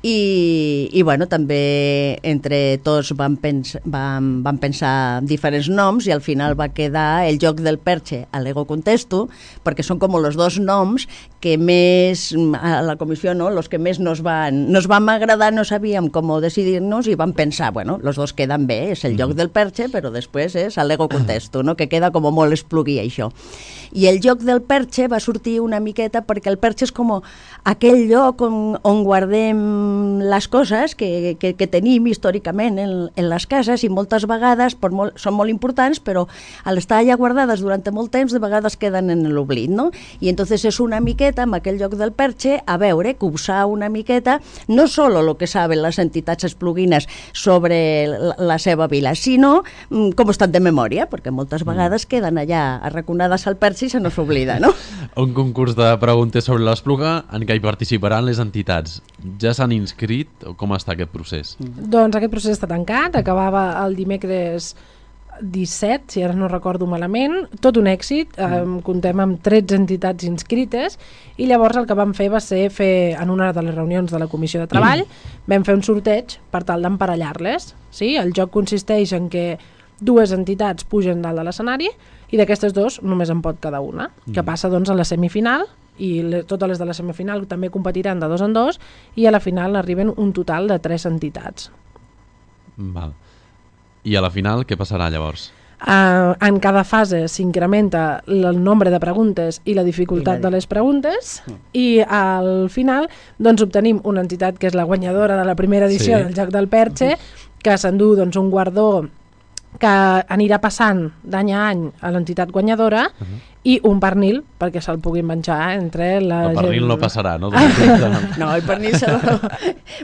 i, i bueno, també entre tots van, pens, van, van pensar diferents noms i al final va quedar el joc del Perche a l'Ego Contesto, perquè són com els dos noms que més, a la comissió, no? Los que més nos van, nos van agradar, no sabíem com decidir-nos i vam pensar, bueno, los dos queden bé, és el joc del Perche, però després és l'Ego Contesto, no? Que queda com molt esplugui això. I el joc del Perche va sortir una miqueta perquè el Perche és com aquell lloc on, on guardem les coses que, que, que tenim històricament en, en les cases i moltes vegades per molt, són molt importants, però al estar allà guardades durant molt temps de vegades queden en l'oblit, no? I entonces és una miqueta amb aquell lloc del Perche a veure, copsar una miqueta no solo lo que saben les entitats espluguines sobre la, la seva vila, sinó com estan de memòria, perquè moltes vegades queden allà arraconades al Perche i se nos oblida, no? Un concurs de preguntes sobre l'Espluga en què hi participaran les entitats. Ja s'han inscrit? O com està aquest procés? Doncs aquest procés està tancat, acabava el dimecres disset, si ara no recordo malament, tot un èxit, eh, comptem amb tretze entitats inscrites, i llavors el que vam fer va ser fer, en una de les reunions de la Comissió de Treball, mm. vam fer un sorteig per tal d'emparellar-les. Sí? El joc consisteix en que dues entitats pugen dalt de l'escenari i d'aquestes dues només en pot quedar una, mm. que passa doncs a la semifinal, i le, totes les de la semifinal també competiran de dos en dos, i a la final arriben un total de tres entitats. Val. I a la final què passarà llavors? Uh, en cada fase s'incrementa el nombre de preguntes i la dificultat I la... de les preguntes mm. i al final doncs obtenim una entitat que és la guanyadora de la primera edició sí. del Joc del Perche, que s'endú doncs, un guardó que anirà passant d'any a any a l'entitat guanyadora uh -huh. i un pernil perquè se'l puguin menjar entre la el pernil gent... no passarà, no? No, el pernil se...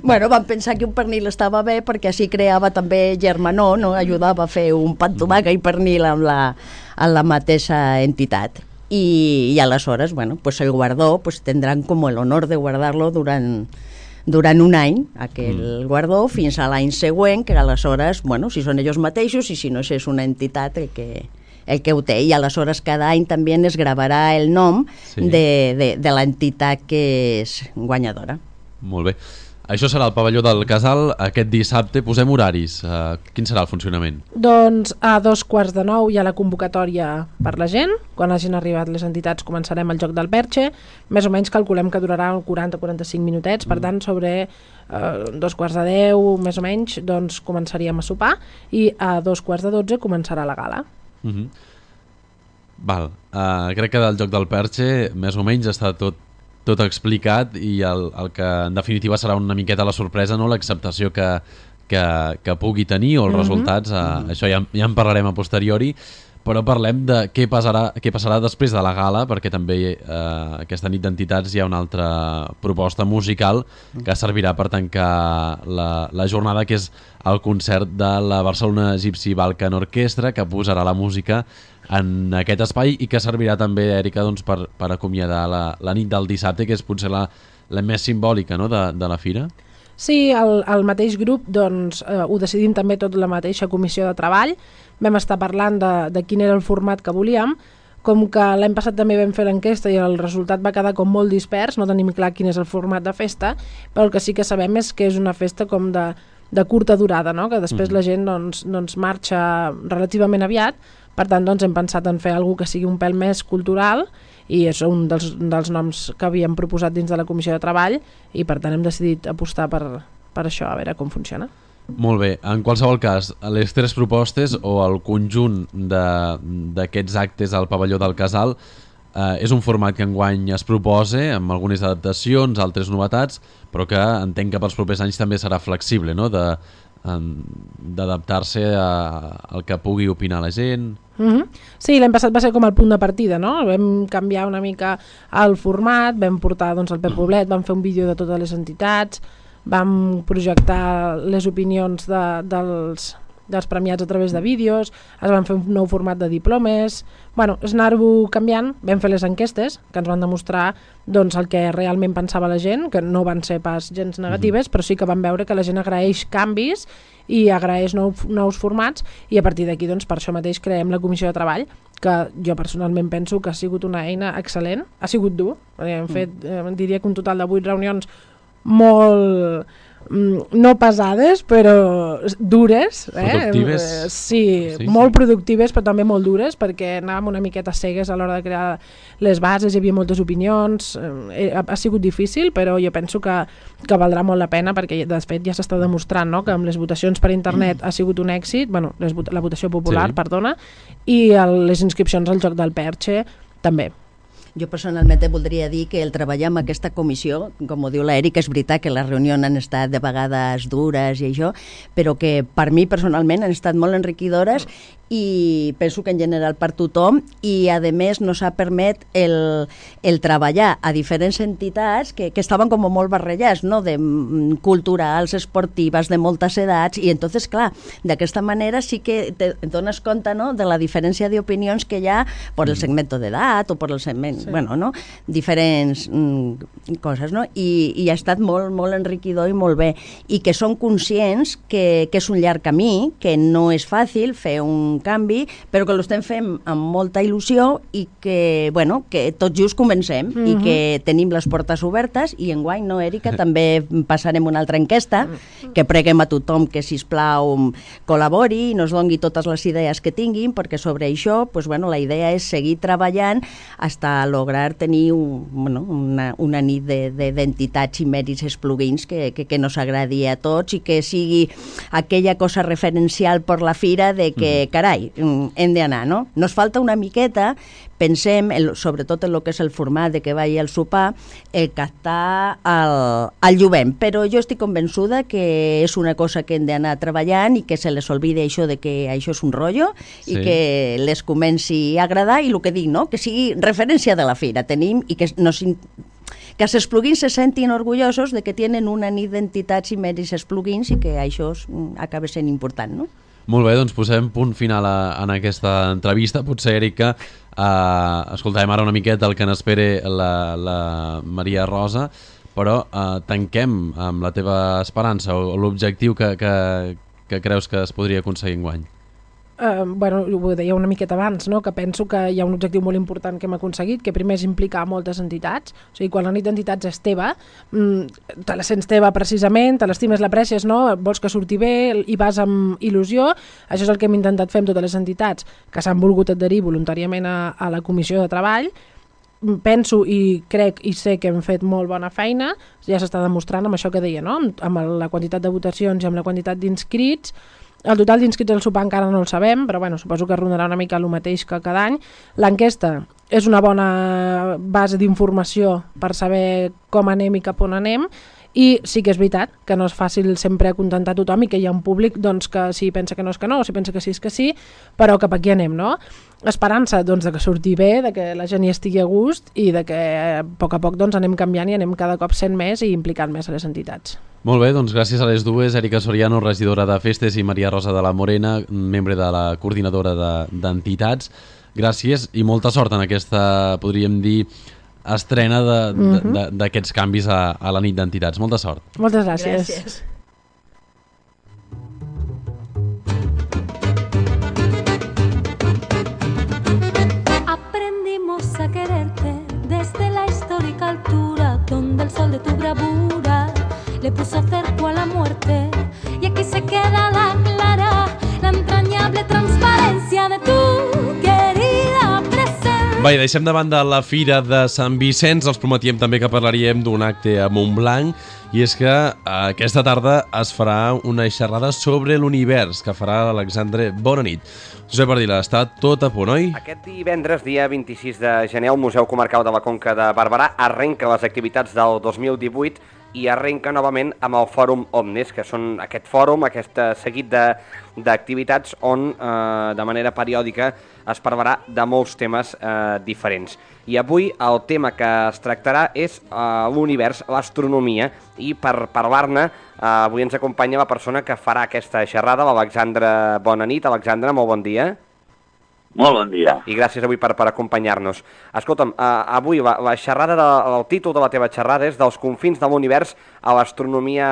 Bueno, vam pensar que un pernil estava bé perquè així creava també germanor, no? Ajudava a fer un pa amb tomàquet i pernil amb la, amb la mateixa entitat. I, i aleshores, bueno, pues el guardó pues tendran como el honor de guardarlo durant durant un any, aquell mm. guardó, fins a l'any següent, que aleshores, bueno, si són ells mateixos i si no és una entitat el que, el que ho té, i aleshores cada any també es gravarà el nom sí. de, de, de l'entitat que és guanyadora. Molt bé. Això serà el pavelló del Casal aquest dissabte. Posem horaris. Uh, quin serà el funcionament? Doncs a dos quarts de nou hi ha la convocatòria per la gent. Quan hagin arribat les entitats començarem el Joc del Perche. Més o menys calculem que durarà quaranta a quaranta-cinc minutets. Per tant, sobre uh, dos quarts de deu, més o menys, doncs començaríem a sopar i a dos quarts de dotze començarà la gala. Uh -huh. Val. Uh, crec que del Joc del Perche més o menys està tot tot explicat i el, el que en definitiva serà una miqueta la sorpresa, no? L'acceptació que, que, que pugui tenir o els mm-hmm. resultats, eh, mm-hmm. això ja, ja en parlarem a posteriori, però parlem de què passarà, què passarà després de la gala, perquè també eh, aquesta nit d'entitats hi ha una altra proposta musical que servirà per tancar la, la jornada, que és el concert de la Barcelona Gypsy Balkan Orquestra, que posarà la música en aquest espai i que servirà també, Èrica, doncs, per, per acomiadar la, la nit del dissabte, que és potser la, la més simbòlica, no?, de, de la fira. Sí, el, el mateix grup doncs, eh, ho decidim també tot la mateixa comissió de treball. Vam estar parlant de, de quin era el format que volíem. Com que l'any passat també vam fer l'enquesta i el resultat va quedar com molt dispers, no tenim clar quin és el format de festa, però el que sí que sabem és que és una festa com de, de curta durada, no?, que després mm. la gent doncs, doncs marxa relativament aviat. Per tant, doncs, hem pensat en fer alguna que sigui un pèl més cultural i és un dels, dels noms que havíem proposat dins de la Comissió de Treball i per tant hem decidit apostar per, per això, a veure com funciona. Molt bé. En qualsevol cas, les tres propostes o el conjunt d'aquests actes al pavelló del Casal eh, és un format que enguany es proposa amb algunes adaptacions, altres novetats, però que entenc que pels propers anys també serà flexible, no?, de d'adaptar-se al que pugui opinar la gent. Mm-hmm. Sí, l'any passat va ser com el punt de partida, no? Vam canviar una mica el format, vam portar doncs, el Pep Poblet, vam fer un vídeo de totes les entitats, vam projectar les opinions de, dels, dels premiats a través de vídeos, es van fer un nou format de diplomes, bueno, és anar-ho canviant, vam fer les enquestes que ens van demostrar doncs, el que realment pensava la gent, que no van ser pas gens negatives, mm-hmm. però sí que vam veure que la gent agraeix canvis i agraeix nou, nous formats i a partir d'aquí doncs, per això mateix creem la Comissió de Treball, que jo personalment penso que ha sigut una eina excel·lent, ha sigut dur, hem fet, eh, diria que un total de vuit reunions molt no pesades però dures, eh? Productives. Sí, sí, molt sí. productives però també molt dures perquè anàvem una miqueta cegues a l'hora de crear les bases, hi havia moltes opinions, eh, ha, ha sigut difícil però jo penso que, que valdrà molt la pena perquè de fet ja s'està demostrant, no?, que amb les votacions per internet ha sigut un èxit, bueno, les, la votació popular, sí. perdona, i el, les inscripcions al Joc del Perche també. Jo personalment voldria dir que el treballar amb aquesta comissió, com ho diu l'Èrica, és veritat que les reunions han estat de vegades dures i això, però que per mi personalment han estat molt enriquidores i penso que en general per tothom, i a més nos ha permet el, el treballar a diferents entitats que, que estaven com molt barrejats, no? De mm, culturals, esportives, de moltes edats, i entonces, clar, d'aquesta manera sí que te, et dones compte, no? De la diferència d'opinions que hi ha per el segment d'edat o per el segment, sí. bueno, no? Diferents mm, coses, no? I, i ha estat molt, molt enriquidor i molt bé, i que són conscients que, que és un llarg camí, que no és fàcil fer un canvi, però que l'estem fent amb molta il·lusió i que, bueno, que tot just comencem mm-hmm. i que tenim les portes obertes, i enguany, no, Èrica, també passarem una altra enquesta que preguem a tothom que, sisplau, col·labori i nos doni totes les idees que tinguin, perquè sobre això, pues, bueno, la idea és seguir treballant hasta lograr tenir un, bueno, una, una nit d'entitats i mèrits esplugins que, que, que nos agradi a tots i que sigui aquella cosa referencial per la fira de que, mm. carai, hem d'anar, no? Nos falta una miqueta, pensem, el, sobretot en el que és el format de que vagi al sopar, el captar el, el jovent, però jo estic convençuda que és una cosa que hem d'anar treballant i que se les olvide això de que això és un rotllo sí. i que les comenci a agradar, i el que dic, no? Que sigui referència de la fira, tenim, i que nos que els esplugins se sentin orgullosos de que tenen una nit d'entitats i mèrits esplugins i que això acaba sent important, no? Molt bé, doncs posem punt final a, en aquesta entrevista. Potser, Èrica, eh, escoltarem ara una miqueta el que n'espere la, la Maria Rosa, però eh, tanquem amb la teva esperança o l'objectiu que, que, que creus que es podria aconseguir enguany. Uh, bueno, ho deia una miqueta abans, no? Que penso que hi ha un objectiu molt important que hem aconseguit, que primer és implicar moltes entitats. O sigui, quan la nit d'entitats és teva, mm, te la sents teva precisament, te l'estimes, l'aprecies, no? Vols que surti bé i vas amb il·lusió. Això és el que hem intentat fer amb totes les entitats que s'han volgut adherir voluntàriament a, a la comissió de treball. Penso i crec i sé que hem fet molt bona feina, ja s'està demostrant amb això que deia, no? Amb, amb la quantitat de votacions i amb la quantitat d'inscrits. El total d'inscrits al sopar encara no el sabem, però bueno, suposo que rondarà una mica el mateix que cada any. L'enquesta és una bona base d'informació per saber com anem i cap on anem, i sí que és veritat que no és fàcil sempre acontentar tothom i que hi ha un públic doncs, que si pensa que no és que no, o si pensa que sí és que sí, però cap aquí anem, no? Esperança doncs, de que surti bé, de que la gent hi estigui a gust i de que a poc a poc doncs, anem canviant i anem cada cop sent més i implicant més a les entitats. Molt bé, doncs gràcies a les dues, Èrica Soriano, regidora de Festes, i Maria Rosa de la Morena, membre de la coordinadora d'entitats. De, gràcies i molta sort en aquesta, podríem dir, estrena d'aquests canvis a, a la nit d'entitats. Molta sort. Moltes gràcies. gràcies. Aprendimos a quererte desde la histórica altura donde el sol de tu bravura le puso cerco a la muerte, y aquí se queda la clara, la entrañable transparencia de tu querida presencia. Va, i deixem de banda la Fira de Sant Vicenç. Els prometíem també que parlaríem d'un acte a Montblanc, i és que aquesta tarda es farà una xerrada sobre l'univers que farà l'Alexandre Bonanit. Josep Ardila, està tot a punt, oi? Aquest divendres, dia vint-i-sis de gener, el Museu Comarcal de la Conca de Barberà arrenca les activitats del dos mil divuit i arrenca novament amb el Fòrum Omnes, que són aquest fòrum, aquest seguit d'activitats on eh, de manera periòdica es parlarà de molts temes eh, diferents. I avui el tema que es tractarà és eh, l'univers, l'astronomia, i per parlar-ne eh, avui ens acompanya la persona que farà aquesta xerrada, l'Alexandre Bonanit. Alexandre, molt bon dia. Molt bon dia. I gràcies avui per, per acompanyar-nos. Escolta'm, eh, avui la, la xerrada, de, el títol de la teva xerrada és dels confins de l'univers a l'astronomia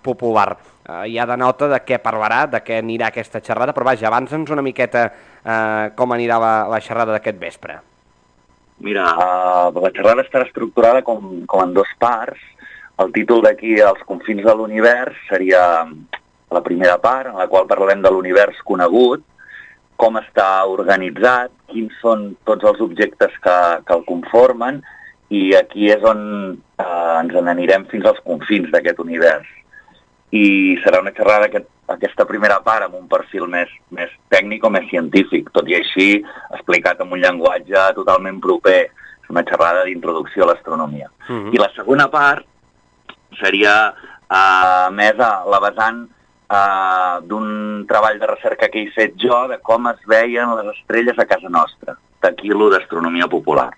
popular. Eh, ja denota de què parlarà, de què anirà aquesta xerrada, però vaja, avança'ns una miqueta eh, com anirà la, la xerrada d'aquest vespre. Mira, uh, la xerrada estarà estructurada com, com en dos parts. El títol d'aquí, Els confins de l'univers, seria la primera part, en la qual parlarem de l'univers conegut, com està organitzat, quins són tots els objectes que, que el conformen, i aquí és on eh, ens n'anirem fins als confins d'aquest univers. I serà una xerrada, aquest, aquesta primera part, amb un perfil més, més tècnic o més científic, tot i així explicat amb un llenguatge totalment proper. És una xerrada d'introducció a l'astronomia. Uh-huh. I la segona part seria eh, més a la vessant uh, d'un treball de recerca que he fet jo de com es veien les estrelles a casa nostra. D'aquí lo d'astronomia popular.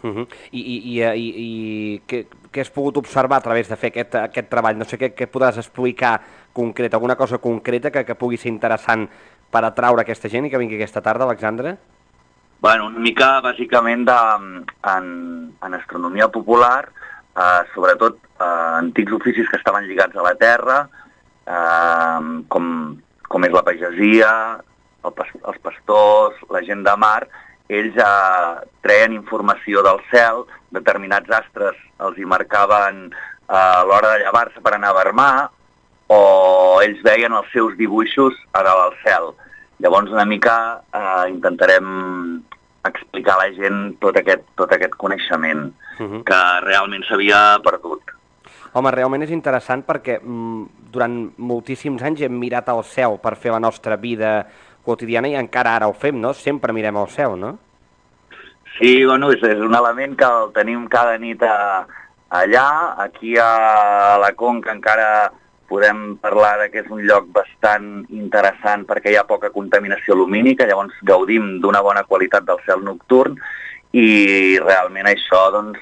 Uh -huh. I, i, i, i, i què, què has pogut observar a través de fer aquest, aquest treball? No sé què, què podràs explicar concret, alguna cosa concreta que, que pugui ser interessant per atraure aquesta gent i que vingui aquesta tarda, Alexandre? Bueno, una mica, bàsicament, de, en, en astronomia popular, eh, sobretot eh, antics oficis que estaven lligats a la Terra, eh, com, com és la pagesia, el, els pastors, la gent de mar, ells eh, treien informació del cel, determinats astres els hi marcaven eh, a l'hora de llevar-se per anar a vermar, o ells veien els seus dibuixos a dalt al cel. Llavors, una mica eh, intentarem explicar a la gent tot aquest, tot aquest coneixement uh-huh. que realment s'havia perdut. Home, realment és interessant perquè mm, durant moltíssims anys hem mirat al cel per fer la nostra vida quotidiana i encara ara ho fem, no? Sempre mirem al cel, no? Sí, bueno, és, és un element que el tenim cada nit a, allà. Aquí a la Conca encara podem parlar de que és un lloc bastant interessant perquè hi ha poca contaminació lumínica, llavors gaudim d'una bona qualitat del cel nocturn i realment això doncs,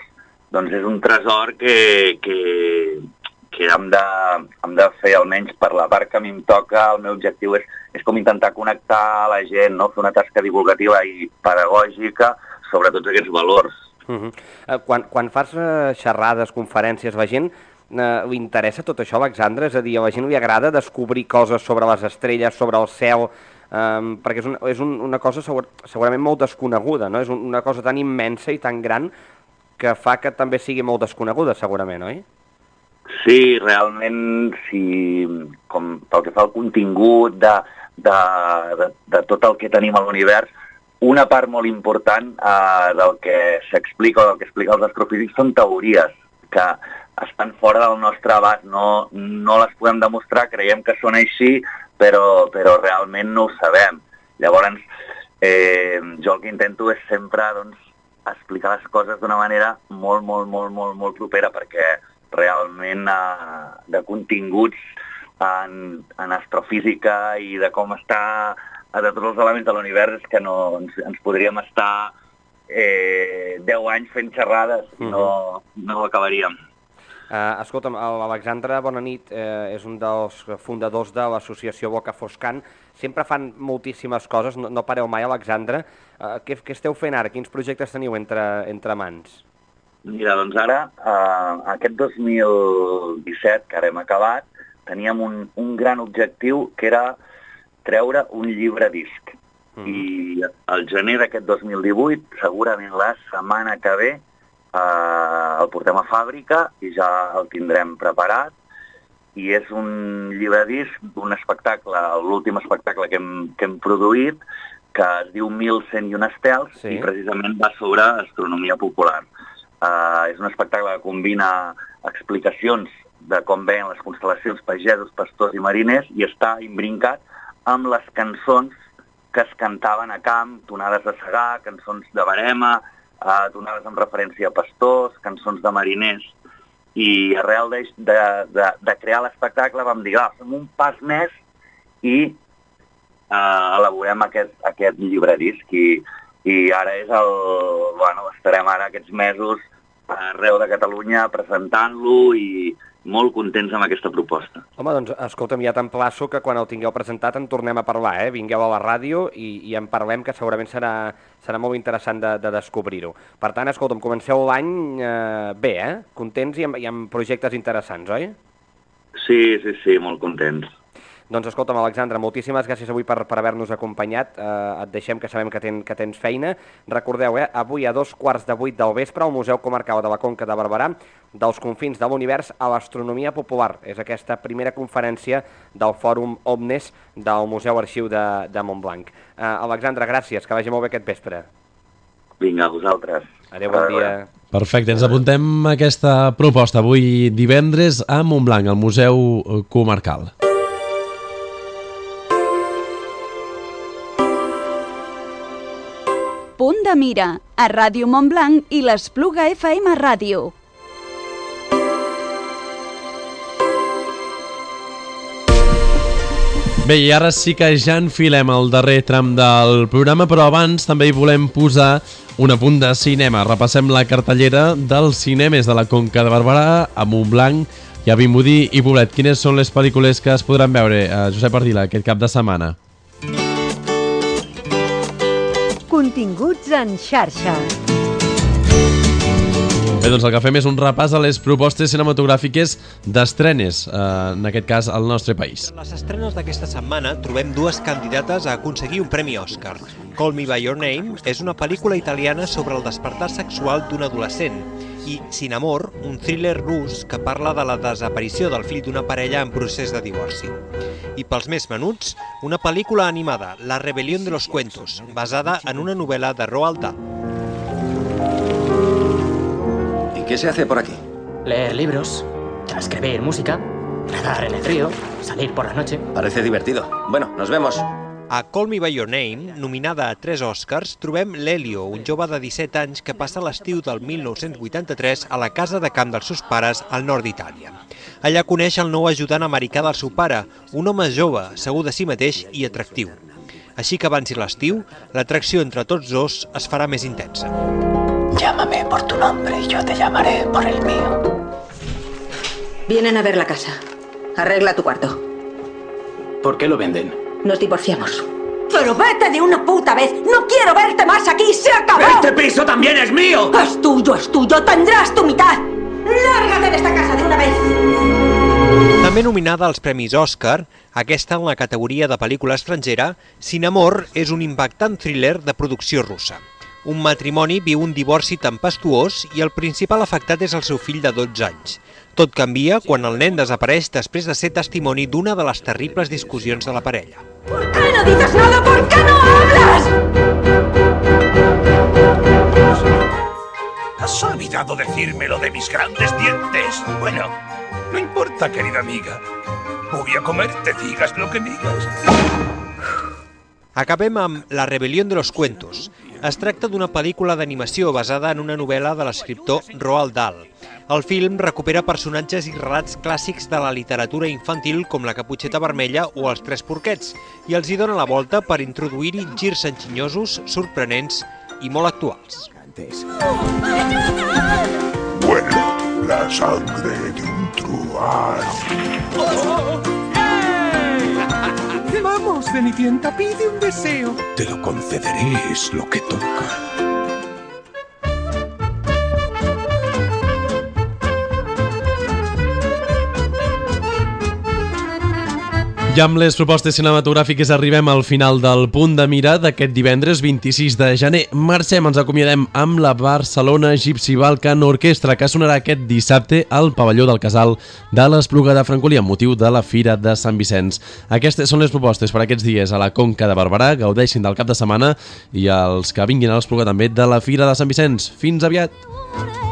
doncs és un tresor que, que, que hem, de, hem de fer, almenys per la part que a mi em toca. El meu objectiu és, és com intentar connectar la gent, no? Fer una tasca divulgativa i pedagògica sobre tots aquests valors. Uh -huh. uh, quan, quan fas uh, xerrades, conferències, la gent uh, li interessa tot això, Alexandre? És a dir, a la gent li agrada descobrir coses sobre les estrelles, sobre el cel, um, perquè és, un, és un, una cosa segur, segurament molt desconeguda, no? És un, una cosa tan immensa i tan gran que fa que també sigui molt desconeguda, segurament, oi? Sí, realment, si, com pel que fa al contingut de, de, de, de tot el que tenim a l'univers, una part molt important eh, del que s'explica o del que explica els astrofísics són teories que estan fora del nostre abast, no, no les podem demostrar, creiem que són així, però, però realment no ho sabem. Llavors, eh, jo el que intento és sempre doncs, explicar les coses d'una manera molt, molt, molt, molt, molt propera, perquè realment eh, de continguts en, en astrofísica i de com està de tots els elements de l'univers és que no, ens, ens podríem estar eh, deu anys fent xerrades i no, no ho acabaríem. Uh, escolta'm, l'Alexandre, bona nit, eh, és un dels fundadors de l'associació Boca Foscant. Sempre fan moltíssimes coses, no, no pareu mai, Alexandre. Uh, què, què esteu fent ara? Quins projectes teniu entre, entre mans? Mira, doncs ara, eh, aquest dos mil disset, que ara hem acabat, teníem un, un gran objectiu que era treure un llibre disc. Mm. I al gener d'aquest dos mil divuit, segurament la setmana que ve, eh, el portem a fàbrica i ja el tindrem preparat. I és un llibre disc d'un espectacle, l'últim espectacle que hem, que hem produït, que es diu mil cent i un estels, sí. I precisament va sobre astronomia popular. Uh, és un espectacle que combina explicacions de com veien les constel·lacions pagesos, pastors i mariners i està imbrincat amb les cançons que es cantaven a camp, tonades de segar, cançons de barema, uh, tonades amb referència a pastors, cançons de mariners. I arrel de, de, de, de crear l'espectacle vam dir, ah, fem un pas més i uh, elaborem aquest, aquest llibre disc. I, i ara és el... Bueno, estarem ara aquests mesos arreu de Catalunya presentant-lo i molt contents amb aquesta proposta. Home, doncs, escolta'm, ja t'emplaço que quan el tingueu presentat en tornem a parlar, eh? Vingueu a la ràdio i, i en parlem, que segurament serà, serà molt interessant de, de descobrir-ho. Per tant, escolta'm, comenceu l'any eh, bé, eh? Contents i amb, i amb projectes interessants, oi? Sí, sí, sí, molt contents. Doncs escolta'm, Alexandre, moltíssimes gràcies avui per, per haver-nos acompanyat. Eh, et deixem, que sabem que, ten, que tens feina. Recordeu, eh, avui a dos quarts de vuit del vespre al Museu Comarcal de la Conca de Barberà, dels confins de l'univers a l'astronomia popular. És aquesta primera conferència del Fòrum Omnes del Museu Arxiu de, de Montblanc. Eh, Alexandre, gràcies, que vagi molt bé aquest vespre. Vinga, a vosaltres. Adéu, bon dia. Perfecte, ens apuntem aquesta proposta avui divendres a Montblanc, al Museu Comarcal. Punt de mira, a Ràdio Montblanc i l'Espluga F M Ràdio. Bé, i ara sí que ja enfilem el darrer tram del programa, però abans també hi volem posar un apunt de cinema. Repassem la cartellera dels cinemes de la Conca de Barberà, a Montblanc i a Vimbodí i Poblet. Quines són les pel·lícules que es podran veure, eh, Josep Ardila, aquest cap de setmana? Continguts en xarxa. Bé, doncs el que fem és un repàs a les propostes cinematogràfiques d'estrenes, eh, en aquest cas al nostre país. En les estrenes d'aquesta setmana trobem dues candidates a aconseguir un premi Òscar. Call Me By Your Name és una pel·lícula italiana sobre el despertar sexual d'un adolescent i Sin Amor, un thriller rus que parla de la desaparició del fill d'una parella en procés de divorci. I pels més menuts, una pel·lícula animada, La rebelión de los cuentos, basada en una novel·la de Roald Dahl. ¿Qué se hace por aquí? Leer libros, escribir música, nadar en el río, salir por la noche. Parece divertido. Bueno, nos vemos. A Call Me By Your Name, nominada a tres Oscars, trobem l'Elio, un jove de disset anys que passa l'estiu del mil nou-cents vuitanta-tres a la casa de camp dels seus pares al nord d'Itàlia. Allà coneix el nou ajudant americà del seu pare, un home jove, segur de si mateix i atractiu. Així que avanci l'estiu, l'atracció entre tots dos es farà més intensa. Llámame por tu nombre y yo te llamaré por el mío. Vienen a ver la casa. Arregla tu cuarto. ¿Por qué lo venden? Nos divorciamos. ¡Pero vete de una puta vez! ¡No quiero verte más aquí! ¡Se acabó! ¡Este piso también es mío! ¡Es tuyo, es tuyo! ¡Tendrás tu mitad! ¡Lárgate de esta casa de una vez! També nominada als Premis Òscar, aquesta en la categoria de pel·lícula estrangera, Sin Amor és un impactant thriller de producció russa. Un matrimoni viu un divorci tempestuós i el principal afectat és el seu fill de dotze anys. Tot canvia quan el nen desapareix després de ser testimoni d'una de les terribles discussions de la parella. ¿Por qué no dices nada? ¿Por qué no hablas? ¿Has olvidado decirme lo de mis grandes dientes? Bueno, no importa, querida amiga. Voy a comerte, digas lo que digas. Acabem amb La rebelión de los cuentos. Es tracta d'una pel·lícula d'animació basada en una novel·la de l'escriptor Roald Dahl. El film recupera personatges i relats clàssics de la literatura infantil com la Caputxeta Vermella o els Tres Porquets i els hi dona la volta per introduir-hi girs enginyosos, sorprenents i molt actuals. Bueno, la sangre de un truán. Vamos, Cenicienta, pide un deseo. Te lo concederé, es lo que toca. I amb les propostes cinematogràfiques arribem al final del Punt de Mira d'aquest divendres vint-i-sis de gener. Marxem, ens acomiadem amb la Barcelona Gypsy Balkan Orquestra, que sonarà aquest dissabte al pavelló del Casal de l'Espluga de Francolí amb motiu de la Fira de Sant Vicenç. Aquestes són les propostes per aquests dies a la Conca de Barberà. Gaudeixin del cap de setmana i els que vinguin a l'Espluga també de la Fira de Sant Vicenç. Fins aviat!